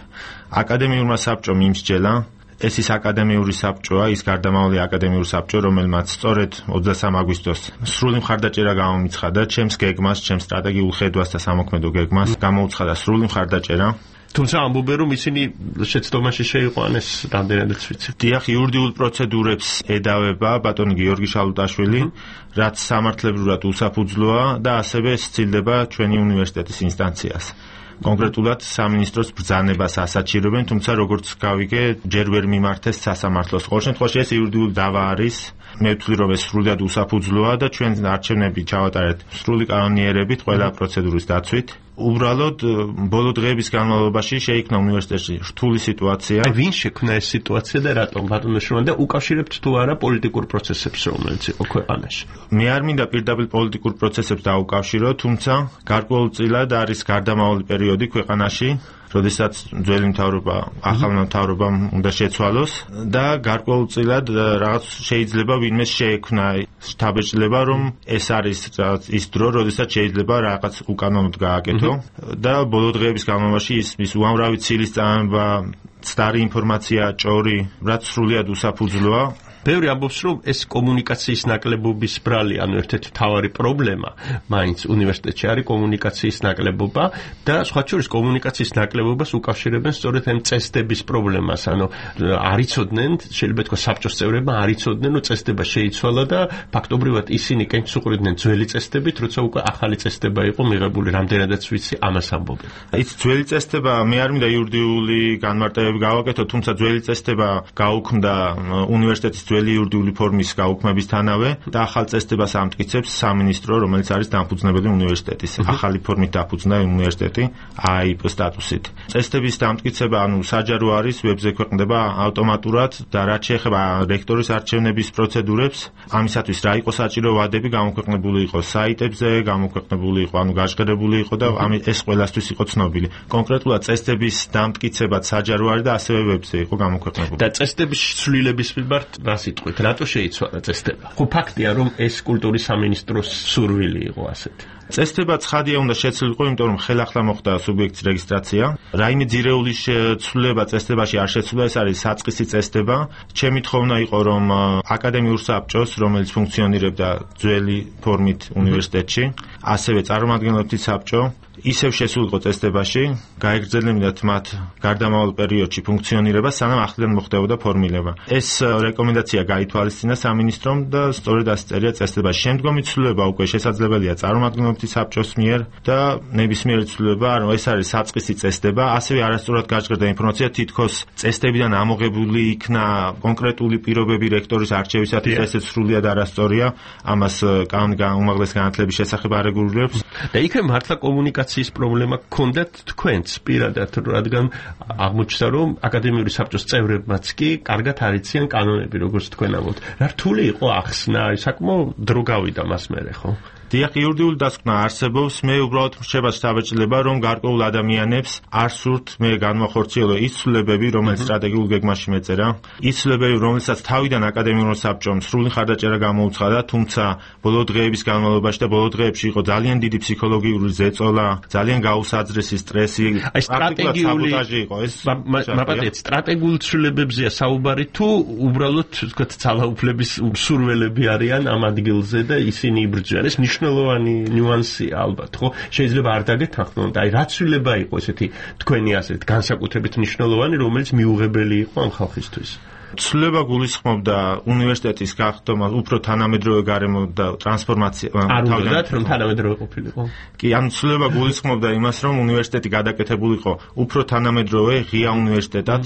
აკადემიურმა საბჭომ იმსჯელა, ეს ის აკადემიური საბჭოა, ის გარდამავალი აკადემიური საბჭო, რომელმაც სწორედ ოცდასამ აგვისტოს სრული მხარდაჭერა გამომიცხადა ჩემს გეგმას, ჩემს სტრატეგიულ ხედვას და სამოქმედო გეგმას, გამოუცხადა სრული მხარდაჭერა. თუმცა ამბობენ, რომ ისინი შეცდომაში შეიყვანეს რამდენადაც ვიცი. დიახ, იურიდიულ პროცედურებს ედავება ბატონი გიორგი შალუტაშვილი, რაც სამართლებრივად უსაფუძვლოა და ასევე სცილდება ჩვენი უნივერსიტეტის ინსტანციას. კონკრეტულად სამინისტროს ბრძანებას ასაჩირებენ, თუმცა როგორც გავიგე, ჯერ ვერ მიმართეს სასამართლოს. ყოველ შემთხვევაში ეს იურიდიული დავა არის. მე ვთვლი, რომ ეს სრულად უსაფუძვლოა და ჩვენ არჩევნები ჩავატარეთ სრული კანონიერებით ყველა პროცედურის დაცვით. უბრალოდ ბოლო დღეების განმავლობაში შეიქმნა უნივერსიტეტში რთული სიტუაცია. აი ვინ შექმნა ეს სიტუაცია და რატომ ბატონო შრომან და უკავშირებთ თუ არა პოლიტიკურ პროცესებს, რომელიც იყო ქვეყანაში? მე არ მინდა პირდაპირ პოლიტიკურ პროცესებს დაუკავშირო, თუმცა გარკვეულწილად არის გარდამავალი პერიოდი ქვეყანაში, როდესაც ძველი მთავრობა ახალმა მთავრობამ უნდა შეცვალოს და გარკვეულწილად რაღაც შეიძლება ვინმე შეექმნა შთაბეჭდილება, რომ ეს არის ის დრო, როდესაც შეიძლება რაღაც უკანონოდ გააკეთო და ბოლო დღეების განმავლობაში ის ის უამრავი ცილის წამება, ცდარი ინფორმაცია, ჭორი, რაც სრულად უსაფუძვლოა. ბევრი ამბობს, რომ ეს კომუნიკაციის ნაკლებობის ბრალი, ანუ ერთ-ერთი მთავარი პრობლემა მაინც უნივერსიტეტში არის კომუნიკაციის ნაკლებობა და სხვა შორის კომუნიკაციის ნაკლებობას უკავშირებენ სწორედ ამ წესდების პრობლემას, ანუ არ იცოდნენ, შეიძლება თქვა საბჭოს წევრებმა არ იცოდნენ, რომ წესდება შეიცვალა და ფაქტობრივად ისინი კენჭს უყრიდნენ ძველი წესდებით, როცა უკვე ახალი წესდება იყო მიღებული, რამდენადაც ვიცი, ამას ამბობენ. ის ძველი წესდება, მე არ მინდა იურიდიული განმარტებები გავაკეთო, თუმცა ძველი წესდება გაუქმდა უნივერსიტეტის ძველი იურიდიული ფორმის გაუქმებისთანავე და ახალ წესდებას ამტკიცებს სამინისტრო, რომელიც არის დამფუძნებელი უნივერსიტეტის. ახალი ფორმით დაფუძნდა უნივერსიტეტი აი ი პი სტატუსით. წესდების დამტკიცება, ანუ საჯარო არის, ვებზე ქვეყნდება ავტომატურად და რაც შეეხება რექტორის არჩევნების პროცედურებს, ამისათვის რა იყო საჭირო ვადები გამოქვეყნებული იყო საიტებზე, გამოქვეყნებული იყო, ანუ გაჟღერებული იყო და ეს ყველასთვის იყო ცნობილი. კონკრეტულად წესდების დამტკიცებაც საჯარო არის და ასევე ვებზე იყო გამოქვეყნებული. და წესდების ცვლილების მიმართ რა სიტყვით, რატო შეიცვალა წესდება? ხო ფაქტია, რომ ეს კულტურის სამინისტროს სურვილი იყო ასეთი. წესდება ცხადია უნდა შეცვლილიყო, იმიტომ რომ ხელახლა მოხდა სუბიექტის რეგისტრაცია. რაიმე ძირეული ცვლილება წესდებაში არ შეცვლა, ეს არის საწყისი წესდება. ჩემი თხოვნა იყო, რომ აკადემიურ საბჭოს, რომელიც ფუნქციონირებდა ძველი ფორმით უნივერსიტეტში, ასევე წარმომადგენლობითი საბჭო ისევ შესულიყო წესდებაში, გაეგრძელებინათ მათ გარდამავალ პერიოდში ფუნქციონირება, სანამ ახლიდან მოხდებოდა ფორმირება. ეს რეკომენდაცია გაითვალისწინა სამინისტრომ და სწორედ ასე წერია წესდებაში. შემდგომი ცვლილება უკვე შესაძლებელია წარმომადგენლობითი საბჭოს მიერ და ნებისმიერი ცვლილება, ანუ ეს არის საწყისი წესდება, ასევე არასწორად გაჟღერდა ინფორმაცია, თითქოს წესდებიდან ამოღებული იქნა კონკრეტული პირობები რექტორის არჩევისათვის, ესეც სრულად არასწორია, ამას უმაღლესი განათლების შესახებ არეგულირებს. და იქ მართლა კომუნიკაცია ის პრობლემა გქონდათ თქვენც პირადად, რადგან აღმოჩნდა, რომ აკადემიური საბჭოს წევრებმაც კი კარგად არიციან კანონები, როგორც თქვენ ამბობთ. რა რთული იყო ახსნა, საკმაოდ დრო გავიდა მას მერე, ხო? დიახ, იურიდიული დასკვნა არსებობს, მე უბრალოდ მრჩება შთაბეჭდილება, რომ გარკვეულ ადამიანებს არ სურთ მე განვახორციელო ის ცვლილებები, რომელიც სტრატეგიულ გეგმაში მეწერა, ის ცვლილებები, რომელსაც თავიდან აკადემიურ საბჭომ სრული მხარდაჭერა გამოუცხადა, თუმცა ბოლო დღეების განმავლობაში და ბოლო დღეებში იყო ძალიან დიდი ფსიქოლოგიური ზეწოლა, ძალიან გაუსაძრესი სტრესი, აი სტრატეგიული იყო ეს. მაპატეთ, სტრატეგიულ ცვლილებებზეა საუბარი თუ უბრალოდ თქვათ ძალაუფლების მსურველები არიან ამ ადგილზე და ისინი იბრძვიან. ეს მნიშვნელოვანი ნიუანსია ალბათ, ხო? შეიძლება არ დაგეთანხმოთ, აი რა ცვლილება იყო ესეთი თქვენი ასეთ განსაკუთრებით მნიშვნელოვანი, რომელიც მიუღებელი იყო ამ ხალხისთვის. ცვლილება გულისხმობდა უნივერსიტეტის გახდომა, უფრო თანამედროვე გარემო და ტრანსფორმაცია. არ უნდათ რომ თანამედროვე ყოფილიყო? კი, ანუ ცვლილება გულისხმობდა იმას, რომ უნივერსიტეტი გადაკეთებულიყო უფრო თანამედროვე ღია უნივერსიტეტად,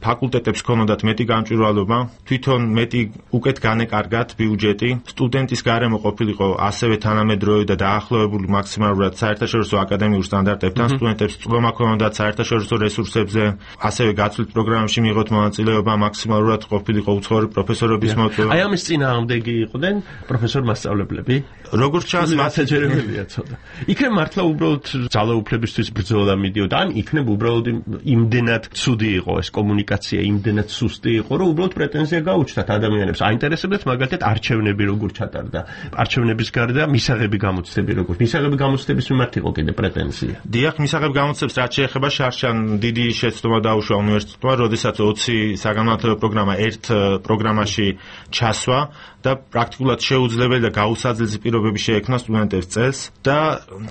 ფაკულტეტებს ჰქონოდათ მეტი გამჭვირვალობა, თვითონ მეტი უკეთ განეკარგათ ბიუჯეტი, სტუდენტის გარემო ყოფილიყო ასევე თანამედროვე და დაახლოებული მაქსიმალურად საერთაშორისო აკადემიურ სტანდარტებთან, სტუდენტებს წყლომა ჰქონოდათ საერთაშორისო რესურსებზე, ასევე გაცვლით პროგრამებში მიიღოთ მონაწილეობა მაქსიმალურად მარტივად ყოფილიყო უცხოური პროფესორების მოწვევა. აი ამის წინააღმდეგი იყვნენ პროფესორ მასწავლებლები. როგორც ჩანს, მასაჯერებელია ცოტა. იქნებ მართლა უბრალოდ ძალაუფლებისთვის ბრძოლა მიდიოდა, ან იქნებ უბრალოდ იმდენად ცუდი იყო ეს კომუნიკაცია, იმდენად სუსტი იყო, რომ უბრალოდ პრეტენზია გაუჩნდათ ადამიანებს. აინტერესებდათ მაგალითად არჩევნები როგორ ჩატარდა. არჩევნების გარდა მისაღები გამოცდები როგორ. მისაღები გამოცდების მიმართ იყო კიდე პრეტენზია. დიახ, მისაღები გამოცდებს რაც შეეხება შარშან დიდი შეცდომა დაუშვა უნივერსიტეტმა, როდესაც ოცი საგანმანათლებლო პროგრამა ერთ პროგრამაში ჩასვა და პრაქტიკულად შეუძლებელი და გაუსაძლისი პირობები შეექმნა სტუდენტებს წელს და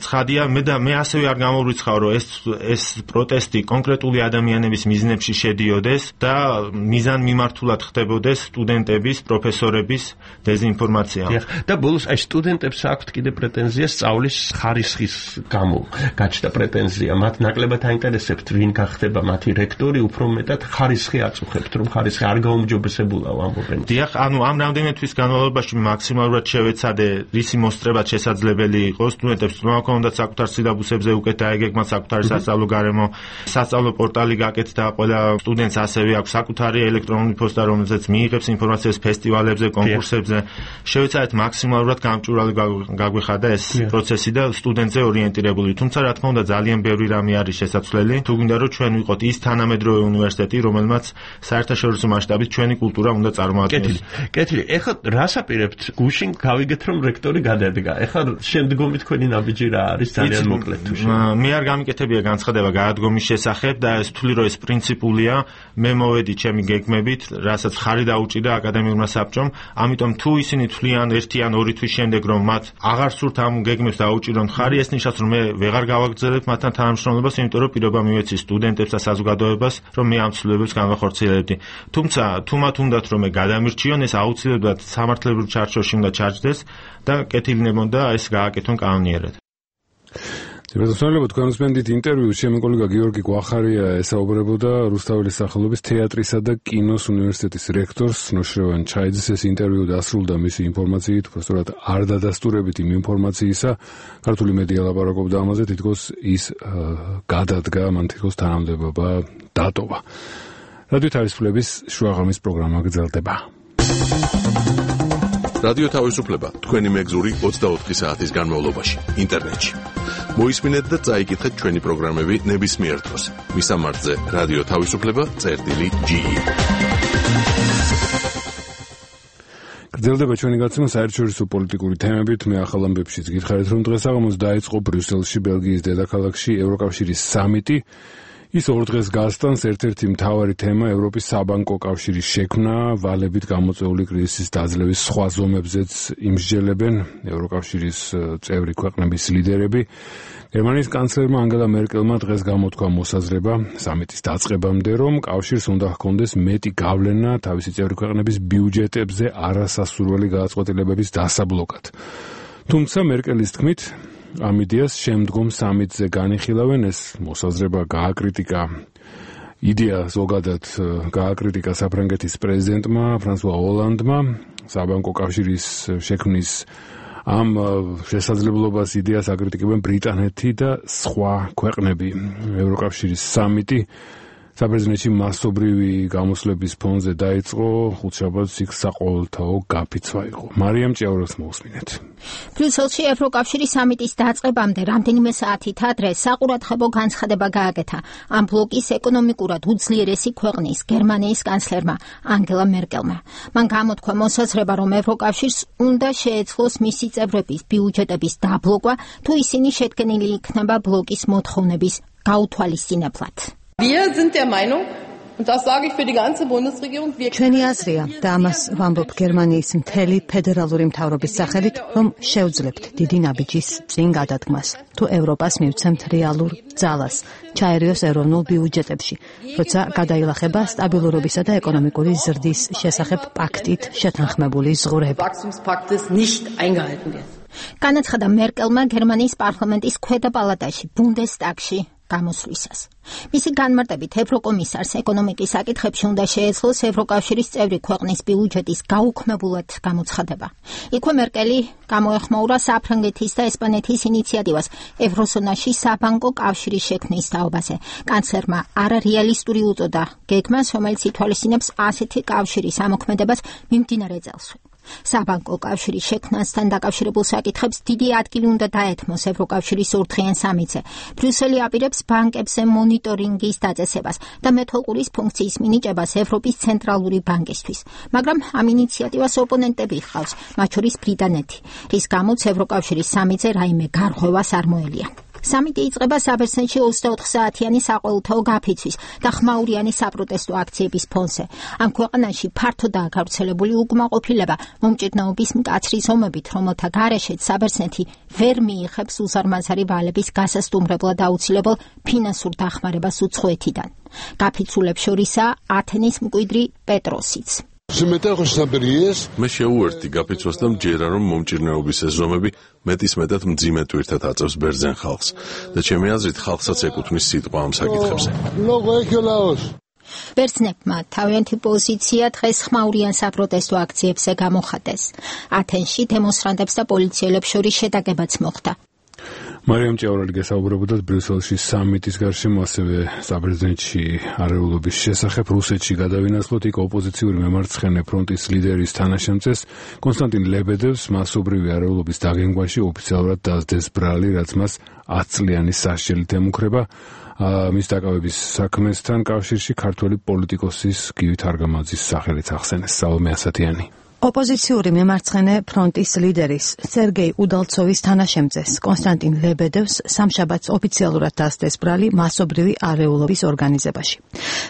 ცხადია მე და მე ასევე არ გამოვრიცხავ რომ ეს ეს პროტესტი კონკრეტული ადამიანების მიზნებში შედიოდეს და მიზან მიმართულად ხდებოდეს სტუდენტების, პროფესორების დეზინფორმაცია. და ბოლოს აი სტუდენტებს აქვთ კიდე პრეტენზია სწავლის ხარისხის გამო. გაჩნდა პრეტენზია, მათ ნაკლებად აინტერესებთ ვინ გახდება მათი რექტორი, უფრო მეტად ხარისხი აწუხებთ, რომ ხარისხი არ გაუმჯობესებულა ამბობენ. დიახ, ანუ ამ რამდენიმე განმავლობაში მაქსიმალურად შევეცადე რისი მოსწრებად შესაძლებელი იყო სტუდენტებს თქმა ჰქონდათ საკუთარ სილაბუსებზე უკეთ დაეგეგმათ საკუთარი სასწავლო გარემო, სასწავლო პორტალი გაკეთდა, ყველა სტუდენტს ასევე აქვს საკუთარი ელექტრონული პოსტა, რომელზეც მიიღებს ინფორმაციას ფესტივალებზე, კონკურსებზე. შევეცადეთ მაქსიმალურად გამჭვირვალე გაგვეხადა ეს პროცესი და სტუდენტზე ორიენტირებული. თუმცა რა თქმა უნდა ძალიან ბევრი რამე არის შესაძლებელი. თუ გინდა რომ ჩვენ ვიყოთ ის თანამედროვე უნივერსიტეტი, რომელმაც საერთაშორისო მასშტაბით ჩვენი კულტურა უნდა წარმოადგენს. კეთილი, ეხლა რას აპირებთ? გუშინ გავიგეთ რომ რექტორი გადადგა. ეხლა შემდგომი თქვენი ნაბიჯი რა არის? ძალიან მოკლედ თუ შეიძლება. მე არ გამიკეთებია განცხადება გადადგომის შესახებ და ეს თვლი რომ ეს პრინციპულია, მე მოვედი ჩემი გეგმებით, რასაც ხარი დაუჭირდა აკადემიურმა საბჭომ, ამიტომ თუ ისინი თვლიან ერთი ან ორი თვის შემდეგ რომ მათ აღარ სურთ ამ გეგმებს დაუჭირონ ხარი, ეს ნიშნავს რომ მე ვეღარ გავაგრძელებ მათთან თანამშრომლობას, იმიტომ რომ პირობა მივეცი სტუდენტებს და საზოგადოებას, რომ მე ამ ცვლილებებს განვახორციელებდი. თუმცა თუ მათ უნდათ რომ მე გადამირჩიონ, ეს აუცილებლად სამართლებრივ ჩარჩოში უნდა ჩარჯდეს და კეთილინებონდა ეს გააკეთონ კანონიერად. ძირითადად თქვენ უსმენთ ინტერვიუს, ჩემი კოლეგა გიორგი გვახარია ესაუბრებოდა რუსთაველის სახელობის თეატრისა და კინოს უნივერსიტეტის რექტორს ნოშრევან ჩაიძეს. ეს ინტერვიუ დასრულდა მისი ინფორმაციით, უბრალოდ არ დადასტურებით იმ ინფორმაციისა. ქართული მედია ლაპარაკობდა ამაზე, თითქოს ის გადადგა, მან თითქოს თანამდებობა დატოვა. რადიო თავისუფლების შუაღამის პროგრამა გრძელდება. რადიო თავისუფლება თქვენი მეგზური ოცდაოთხი საათის განმავლობაში ინტერნეტში. მოისმინეთ და წაიკითხეთ ჩვენი პროგრამები ნებისმიერ დროს. მისამართზე რადიო თავისუფლება წერტილი ჯი ი. გრძელდება ჩვენი გაცნობა საერთაშორისო პოლიტიკური თემებით. მე ახალ ამბებშიც გითხარით რომ დღესაღამოს დაიწყო ბრიუსელში, ბელგიის დედაქალაქში ევროკავშირის სამიტი. ის ორ დღეს გასტანს. ერთ-ერთი მთავარი თემა ევროპის საბანკო კავშირის შექმნა, ვალებით გამოწვეული კრიზისის დაძლევის სხვა ზომებზეც იმსჯელებენ ევროკავშირის წევრი ქვეყნების ლიდერები. გერმანიის კანცლერმა ანგელა მერკელმა დღეს გამოთქვა მოსაზრება სამიტის დაწყებამდე, რომ კავშირს უნდა ჰქონდეს მეტი გავლენა თავისი წევრი ქვეყნების ბიუჯეტებზე არასასურველი გადაწყვეტილებების დასაბლოკად. თუმცა მერკელის თქმით ამ იდეას შემდგომ სამიტზე განიხილავენ. ეს მოსაზრება გააკრიტიკა იდეა ზოგადად გააკრიტიკა საფრანგეთის პრეზიდენტმა ფრანსუა ოლანდმა საბანკო კავშირის შექმნის ამ შესაძლებლობას იდეას აკრიტიკებენ ბრიტანეთი და სხვა ქვეყნები. ევროკავშირის სამიტი საბერძნეთში მასობრივი გამოსვლების ფონზე დაიწყო, ხუთშაბათს იქ საყოველთაო გაფიცვა იყო. მარიამ ჭიაურას მოусმინეთ. ბრიუსელში ევროკავშირის სამიტის დაწყებამდე რამდენიმე საათით ადრე საყურადღებო განცხადება გააკეთა ამ ბლოკის ეკონომიკურად უძლიერესი ქვეყნის გერმანიის კანცლერმა ანგელა მერკელმა. მან გამოთქვა მოსაზრება, რომ ევროკავშირს უნდა შეეძლოს მისი წევრების ბიუჯეტების დაბლოკვა, თუ ისინი შედგენილი იქნება ბლოკის მოთხოვნების გაუთვალისწინებლად. Wir sind der Meinung, und das sage ich für die ganze Bundesregierung, wir ჩვენი აზრია და ამას ვამბობ გერმანიის მთელი ფედერალური მთავრობის სახელით, რომ შევძლებთ დიდი ნაბიჯის წინ გადადგმას. თუ ევროპას მივცემთ რეალურ ძალას, ჩაერიოს ეროვნულ ბიუჯეტებში, როცა გადაილახება სტაბილურობისა და ეკონომიკური ზრდის შესახებ პაქტით შეთანხმებული ზღურები. განაცხადა მერკელმა გერმანიის პარლამენტის ქვედა პალატაში, ბუნდესტაგში. გამოსვლისას. მისი განმარტებით ევროკომისარს ეკონომიკის საკითხებში უნდა შეეძლოს ევროკავშირის წევრი ქვეყნის ბიუჯეტის გაუქმებულად გამოცხადება. იქვე მერკელი გამოეხმაურა საფრანგეთის და ესპანეთის ინიციატივას ევროზონაში საბანკო კავშირის შექმნის თაობაზე. კანცლერმა არარეალისტური უწოდა გეგმას, რომელიც ითვალისწინებს ასეთი კავშირის ამოქმედებას მიმდინარე წელსვე. საბანკო კავშირის შექმნასთან დაკავშირებულ საკითხებს დიდი ადგილი უნდა დაეთმოს ევროკავშირის ორდღიან სამიტზე. ბრიუსელი აპირებს ბანკებზე მონიტორინგის დაწესებას და მეთვალყურის ფუნქციის მინიჭებას ევროპის ცენტრალური ბანკისთვის. მაგრამ ამ ინიციატივას ოპონენტები ჰყავს, მათ შორის ბრიტანეთი, რის გამოც ევროკავშირის სამიტზე რაიმე გარღვევას არ მოელია. სამიტი იწყება საბერძნეთში ოცდაოთხ საათიანი საყოველთაო გაფიცვის და ხმაურიანი საპროტესტო აქციების ფონზე. ამ ქვეყანაში ფართოდაა გავრცელებული უკმაყოფილება მომჭირნეობის მკაცრი ზომებით, რომელთა გარეშეც საბერძნეთი ვერ მიიღებს უზარმაზარი ვალების გასასტუმრებლად აუცილებელ ფინანსურ დახმარებას უცხოეთიდან. გაფიცულებს შორისაა ათენის მკვიდრი პეტროსიც. მე შეუერთდი გაფიცვას და მჯერა, რომ მომჭირნეობის ეს ზომები მეტის მეტად მძიმე ტვირთად აწევს ბერძენ ხალხს და ჩემი აზრით ხალხსაც ეკუთვნის სიტყვა ამ საკითხებზე. ბერძნებმა თავიანთი პოზიცია დღეს ხმაურიან საპროტესტო აქციებზე გამოხატეს. ათენში დემონსტრანტებს და პოლიციელებს შორის შეტაკებაც მოხდა. მარიამ ჭიაურელი გესაუბრებოდა ბრიუსელში სამიტის გარშემო, ასევე საბერძნეთში არეულობის შესახებ. რუსეთში გადავინაცვლოთ, იქ ოპოზიციური მემარცხენე ფრონტის ლიდერის თანაშემწეს კონსტანტინ ლებედევს მასობრივი არეულობის დაგენგვაში ოფიციალურად დასდეს ბრალი, რაც მას ათ წლიანი სასჯელით ემუქრება. მის დაკავების საქმესთან კავშირში ქართველი პოლიტიკოსის გივი თარგამაძის სახელით ახსენეს სალომე ასათიანი. ოპოზიციური მემარცხენე ფრონტის ლიდერის სერგეი უდალცოვის თანაშემწეს კონსტანტინ ლებედევს სამშაბათს ოფიციალურად დასდეს ბრალი მასობრივი არეულობის ორგანიზებაში.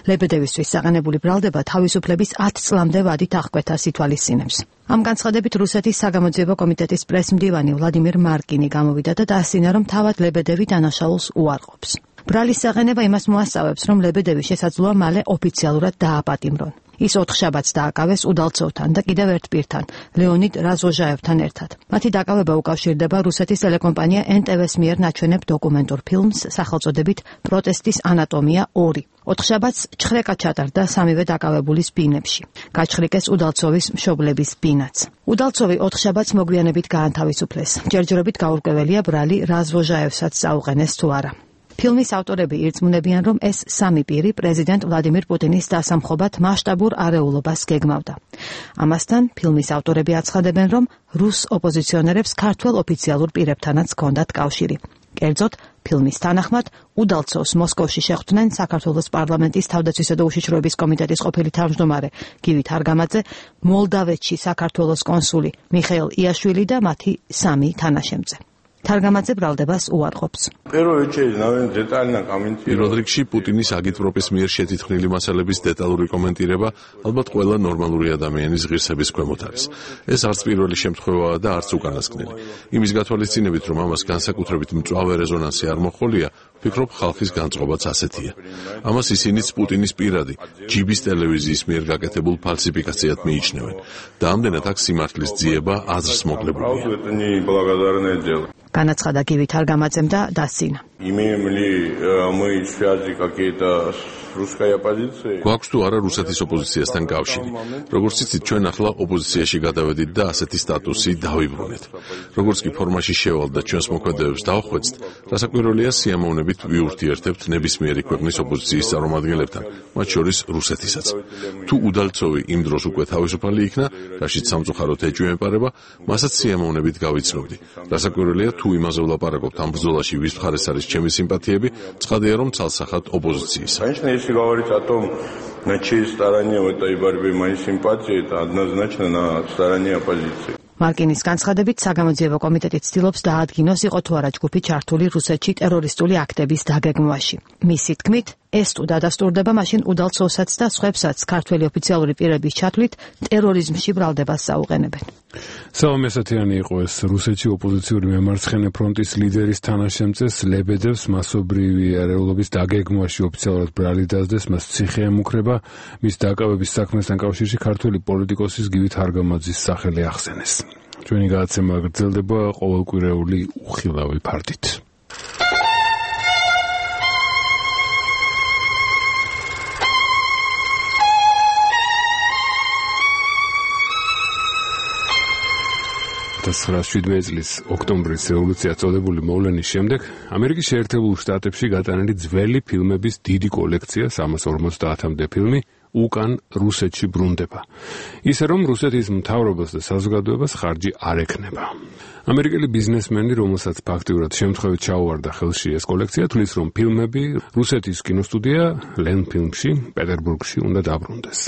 ლებედევისთვის საყენებული ბრალდება თავისუფლების ათ წლამდე ვადით აღკვეთას ითვალისწინებს. ამ განცხადებით რუსეთის საგამოძიებო კომიტეტის პრესმდივანი ვლადიმირ მარკინი გამოვიდა და დაასწინა, რომ თავად ლებედევი დანაშაულს უარყოფს. ბრალის საყენება იმას მოასწავებს, რომ ლებედევი შესაძლოა მალე ოფიციალურად დააპატიმრონ. ის ოთხშაბათს დააკავეს უდალცოვთან და კიდევ ერთ პირთან, ლეონიდ რაზოჟაევთან ერთად. მათი დაკავება უკავშირდება რუსეთის ტელეკომპანია ენ ტე ვეს მიერ ნაჩვენებ დოკუმენტურ ფილმს სახელწოდებით პროტესტის ანატომია ორი. ოთხშაბათს ჩხრეკა ჩატარდა სამივე დაკავებულის ბინებში. გაჩხრიკეს უდალცოვის მშობლების ბინაც. უდალცოვი ოთხშაბათს მოგვიანებით გაანთავისუფლეს. ჯერჯერობით გაურკვეველია ბრალი რაზოჟაევსაც წაუყენეს თუ არა. ფილმის ავტორები ირწმუნებიან, რომ ეს სამი პირი პრეზიდენტ ვლადიმირ პუტინის დასამხობად მასშტაბურ არეულობას გეგმავდა. ამასთან ფილმის ავტორები აცხადებენ, რომ რუს ოპოზიციონერებს ქართველ ოფიციალურ პირებთანაც ჰქონდათ კავშირი. კერძოდ, ფილმის თანახმად უდალცოვს მოსკოვში შეხვდნენ საქართველოს პარლამენტის თავდაცვისა და უშიშროების კომიტეტის ყოფილი თავმჯდომარე გივი თარგამაძე, მოლდავეთში საქართველოს კონსული მიხეილ იაშვილი და მათი სამი თანაშემწე. თარგამაძე ბრალდებას უარყოფს. პირველ რიგში პუტინის აგიტპროპის მიერ შეთითქმული მასალების დეტალური კომენტირება ალბათ ყველა ნორმალური ადამიანის ღირსების ქვემოთ არის. ეს არც პირველი შემთხვევაა და არც უკანასკნელი. იმის გათვალისწინებით, რომ ამას განსაკუთრებით მწვავე რეზონანსი არ მოჰყოლია, ვფიქრობ, ხალხის განწყობაც ასეთია. ამას ისინიც პუტინის პირადი ჯიბის ტელევიზიის მიერ გაკეთებულ ფალსიფიკაციად მიიჩნევენ და ამდენად აქ სიმართლის ძიება აზრს მოკლებულია. განაცხადა გივი თარგამაძემ და დასცინა. გვაქვს თუ არა რუსეთის ოპოზიციასთან კავშირი. როგორც იცით, ჩვენ ახლა ოპოზიციაში გადავედით და ასეთი სტატუსი დავიბრუნეთ. როგორც კი ფორმაში შევალ და ჩვენს მოქმედებებს დავხვეწთ, რასაკვირველია სიამოვნებით ვიურთიერთებთ ნებისმიერი ქვეყნის ოპოზიციის წარმომადგენლებთან, მათ შორის რუსეთისაც. თუ უდალცოვი იმ დროს უკვე თავისუფალი იქნა, რაშიც სამწუხაროდ ეჭვი ემყარება, მასაც სიამოვნებით გავიცნობდი. რასაკვირველია, თუ იმაზე ვლაპარაკობთ ამ ბრძოლაში ვის მხარეს არის ჩემი სიმპათიები, ცხადია, რომ ცალსახად ოპოზიციის. Если говорить о том, на чьей стороне в этой борьбе мои симпатии, это однозначно на стороне оппозиции. მარკინის განცხადებით საგამოძიებო კომიტეტი ცდილობს დაადგინოს იყო თუ არა ჯგუფი ჩართული რუსეთში ტერორისტული აქტების დაგეგმვაში. მისი თქმით, ეს თუ დადასტურდება, მაშინ უდალცოვსაც და სხვებსაც ქართველი ოფიციალური პირების ჩათვლით ტერორიზმში ბრალდებას საუყენებენ. სალომე ასათიანი იყო ეს რუსეთში ოპოზიციური მემარცხენე ფრონტის ლიდერის თანაშემწეს ლებედევს მასობრივი არეულობის დაგეგმვაში ოფიციალურად ბრალი დასდეს, მას ციხე ემუქრება. მის დაკავების საქმესთან კავშირში ქართველი პოლიტიკოსის გივი თარგამაძის სახელი ახსენეს. ჩვენი გადაცემა გრძელდება ყოველკვირეული უხილავი ფარდით. ათას ცხრაასი შვიდმეტი წლის ოქტომბრის რევოლუცია წოდებული მოვლენის შემდეგ ამერიკის შეერთებულ შტატებში გატანილი ძველი ფილმების დიდი კოლექცია სამას ორმოცდაათამდე ფილმი უკან რუსეთში ბრუნდება. ისე რომ რუსეთის მთავრობას და საზოგადოებას ხარჯი არ ექნება. ამერიკელი ბიზნესმენი, რომელსაც ფაქტიურად შემთხვევით ჩაუვარდა ხელში ეს კოლექცია, თვლის, რომ ფილმები რუსეთის კინოსტუდია ლენფილმში, პეტერბურგში უნდა დაბრუნდეს.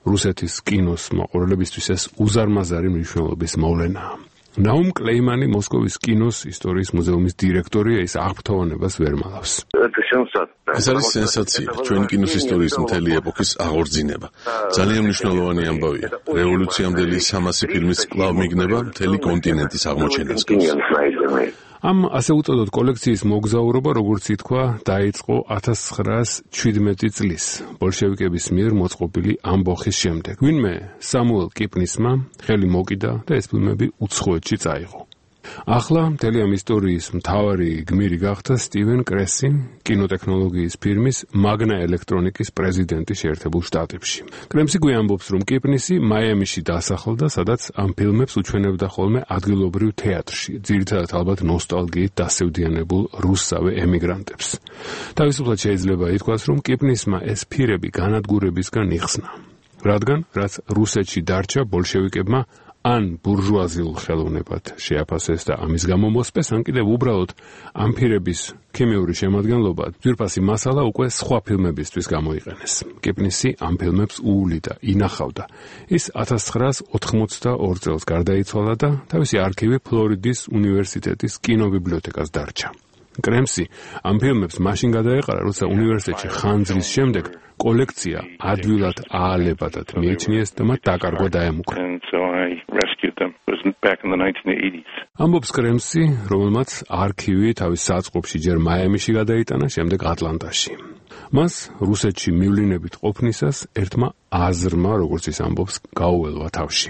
რუსეთის კინოს მოყურებლებისთვის ეს უზარმაზარი მნიშვნელობის მოვლენაა. ნაუმ კლეიმანი მოსკოვის კინოს ისტორიის მუზეუმის დირექტორია, ის აღფრთოვანებას ვერ მალავს. ეს არის სენსაცია, ჩვენი კინოს ისტორიის მთელი ეპოქის აღორძინება. ძალიან მნიშვნელოვანი ამბავია. რევოლუციამდელი სამასი ფილმის კვლავ მიგნება მთელი კონტინენტის აღმოჩენას გავს. ამ ასე უწოდოთ კოლექციის მოგზაურობა, როგორც ითქვა, დაიწყო ათას ცხრაასი შვიდმეტი წლის ბოლშევიკების მიერ მოწყობილი ამბოხის შემდეგ. ვინმე სამუელ კიპნისმა ხელი მოკიდა და ეს ფილმები უცხოეთში წაიღო. ახლა მთელი ამ ისტორიის მთავარი გმირი გახდა სტივენ კრესი, კინოტექნოლოგიის ფირმის მაგნა ელექტრონიკის პრეზიდენტი შეერთებულ შტატებში. კრემსი გვიამბობს, რომ კიპნისი მაიამიში დასახლდა, სადაც ამ ფილმებს უჩვენებდა ხოლმე ადგილობრივ თეატრში, ძირითადად ალბათ ნოსტალგიით დასევდიანებულ რუსსავე ემიგრანტებს. თავისუფლად შეიძლება ითქვას, რომ კიპნისმა ეს ფირები განადგურებისგან იხსნა, რადგან რაც რუსეთში დარჩა ბოლშევიკებმა ან ბურჟუაზიულ ხელოვნებად შეაფასეს და ამის გამო მოსპეს, ან კიდევ უბრალოდ ამ ფირების ქიმიური შემადგენლობა ძვირფასი მასალა უკვე სხვა ფილმებისთვის გამოიყენეს. კიპნისი ამ ფილმებს უულიდა, ინახავდა. ის ათას ცხრაასი ოთხმოცდაორი წელს გარდაიცვალა და თავისი არქივი ფლორიდის უნივერსიტეტის კინობიბლიოთეკას დარჩა. კრემსი ამ ფილმებს მაშინ გადაეყარა, როცა უნივერსიტეტში ხანძრის შემდეგ კოლექცია ადვილად აალებადად მიეჩნიეს და მათ დაკარგვა დაემუქრა. ამბობს კრემსი, რომელმაც არქივი თავის საწყობში ჯერ მაიამიში გადაიტანა, შემდეგ ატლანტაში. მას რუსეთში მივლინებით ყოფნისას ერთმა აზრმა, როგორც ის ამბობს, გაუველვა თავში.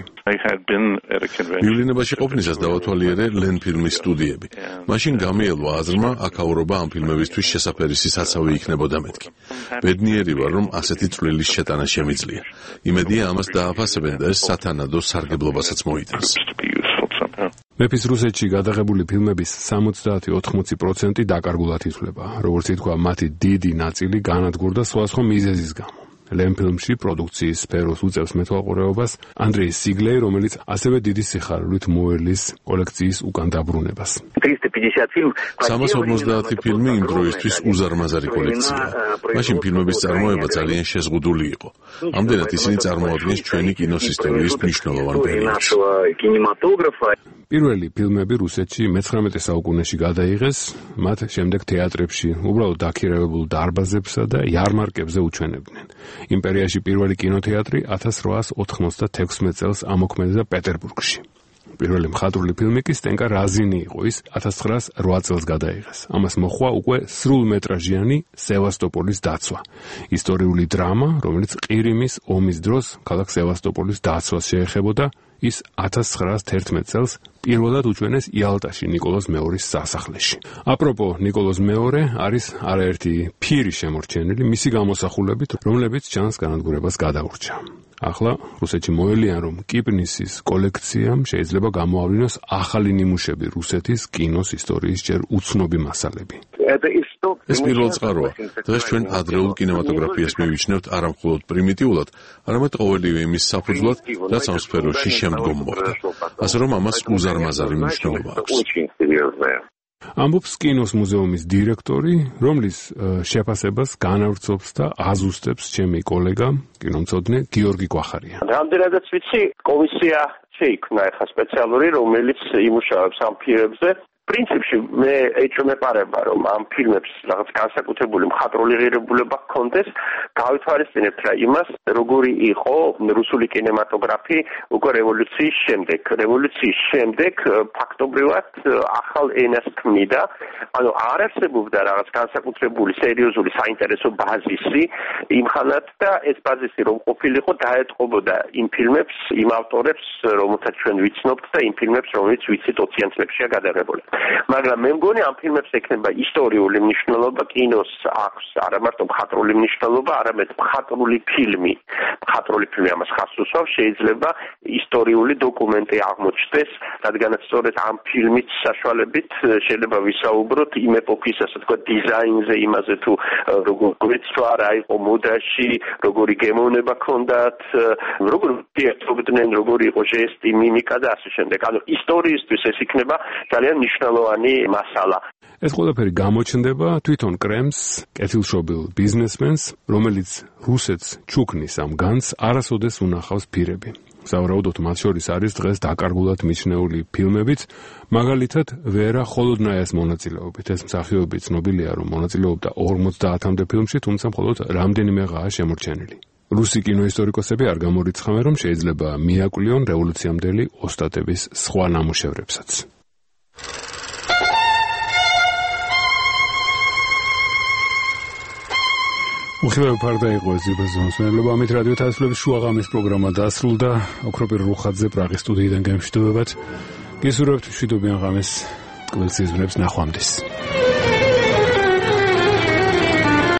მივლინებაში ყოფნისას დავათვალიერე ლენფილმის სტუდიები. მაშინ გამიელვა აზრმა, აქაურობა ამ ფილმებისთვის შესაფერისი საცავი იქნებოდა მეთქი. ბედნიერი ვარ, რომ ასეთი წვლილის შეტანა შემიძლია. იმედია ამას დააფასებენ და ეს სათანადო სარგებლობასაც მოიტანს. მეფის რუსეთში გადაღებული ფილმების სამოცდაათი ოთხმოცი პროცენტი დაკარგულად ითვლება. როგორც ითქვა, მათი დიდი ნაწილი განადგურდა სხვადასხვა მიზეზის გამო. ლენფილმში პროდუქციის სფეროს უწევს მეთვალყურეობას ანდრეი სიგლეი, რომელიც ასევე დიდი სიხარულით მოელის კოლექციის უკან დაბრუნებას. სამას ორმოცდაათი ფილმი იმ დროისთვის უზარმაზარი კოლექციაა. მაშინ ფილმების წარმოება ძალიან შეზღუდული იყო. ამდენად ისინი წარმოადგენს ჩვენი კინოს ისტორიის მნიშვნელოვან პერიოდს. პირველი ფილმები რუსეთში მეცხრამეტე საუკუნეში გადაიღეს, მათ შემდეგ თეატრებში, უბრალოდ დაქირავებულ დარბაზებსა და იარმარკებზე უჩვენებდნენ. იმპერიაში პირველი კინოთეატრი ათას რვაასი ოთხმოცდათექვსმეტ წელს ამოქმედებდა პეტერბურგში. პირველი მხატვრული ფილმი კი სტენკა რაზინი იყო, ის ათას ცხრაასი რვა წელს გადაიღეს. ამას მოჰყვა უკვე სრულმეტრაჟიანი სევასტოპოლის დაცვა. ისტორიული დრამა, რომელიც ყირიმის ომის დროს ქალაქ სევასტოპოლის დაცვას შეეხებოდა, ის ათას ცხრაასი თერთმეტ წელს პირველად უჩვენეს იალტაში ნიკოლოზ მეორის სასახლეში. აპროპო, ნიკოლოზ მეორე არის არაერთი ფირი შემორჩენილი მისი გამოსახულებით, რომლებიც ჩანს განადგურებას გადაურჩა. ახლა რუსეთში მოელიან, რომ კიპნისის კოლექციამ შეიძლება გამოავლინოს ახალი ნიმუშები რუსეთის კინოს ისტორიის ჯერ უცნობი მასალები. ეს პირველ წყაროა. დღეს ჩვენ ადრეულ კინემატოგრაფიას მივიჩნევთ არა მხოლოდ პრიმიტიულად, არამედ ყოველივე იმის საფუძვლად, რაც ამ სფეროში შემდგომ მოხდა. ასე რომ ამას უზარმაზარი მნიშვნელობა აქვს. ამბობს კინოს მუზეუმის დირექტორი, რომლის შეფასებას განავრცობს და აზუსტებს ჩემი კოლეგა, კინომცოდნე გიორგი კვახარია. რამდენადაც ვიცი, კომისია შეიქმნა ახლა სპეციალური, რომელიც იმუშავებს ამ ფილმებზე. პრინციპში მე ეჭვმეპარება, რომ ამ ფილმებს რაღაც განსაკუთრებული მხატვრული ღირებულება ჰქონდეს, გავითვალისწინებთ რა იმას, როგორი იყო რუსული კინემატოგრაფი უკვე რევოლუციის შემდეგ. რევოლუციის შემდეგ ფაქტობრივად ახალ ენას ქმნიდა, ანუ არ არსებობდა რაღაც განსაკუთრებული სერიოზული საინტერესო ბაზისი იმხანად და ეს ბაზისი რომ ყოფილიყო, დაეტყობოდა იმ ფილმებს, იმ ავტორებს, რომელთაც ჩვენ ვიცნობთ და იმ ფილმებს, რომელიც ვიცით ოციან წლებშია გადაღებული. მაგრამ მე მგონი ამ ფილმებს ექნება ისტორიული მნიშვნელობა, კინოს აქვს არა მარტო მხატვრული მნიშვნელობა, არამედ მხატვრული ფილმი. მხატვრული ფილმი ამას ხაზს უსვამს, შეიძლება ისტორიული დოკუმენტი აღმოჩნდეს, რადგანაც სწორედ ამ ფილმის საშუალებით შეიძლება ვისაუბროთ იმ ეპოქის, ასე თქვა, დიზაინზე, იმაზე თუ როგორ ეცვა რა იყო მოდაში, როგორი გემოვნება ჰქონდათ, როგორ ერთობდნენ, როგორი იყო ჟესტი, მიმიკა და ასე შემდეგ. ანუ ისტორიისთვის ეს იქნება ძალიან მნიშვნელოვანი მასალა. ეს ყველაფერი გამოჩნდება თვითონ კრემს, კეთილშობილ ბიზნესმენს, რომელიც რუსეთს ჩუქნის ამ განს არასოდეს უნახავს ფირები. სავარაუდოდ მათ შორის არის დღეს დაკარგულად მიჩნეული ფილმებიც, მაგალითად ვერა ხოლოდნაიას მონაწილეობით. ეს მსახიობი ცნობილია, რომ მონაწილეობდა ორმოცდაათამდე ფილმში, თუმცა მხოლოდ რამდენიმეღაა შემორჩენილი. რუსი კინოისტორიკოსები არ გამორიცხავენ, რომ შეიძლება მიაკვლიონ რევოლუციამდელი ოსტატების სხვა ნამუშევრებსაც. უხილავი ფარდა იყო ეს ზიბაზონსმენელობა. ამით რადიო თავისუფლების შუაღამის პროგრამა დასრულდა. ოქროპირ რუხაძე პრაღის სტუდიიდან გემშვიდობებად. გისურვებთ მშვიდობიან ღამეს, ტკბილ სიზმრებს ნახვამდის.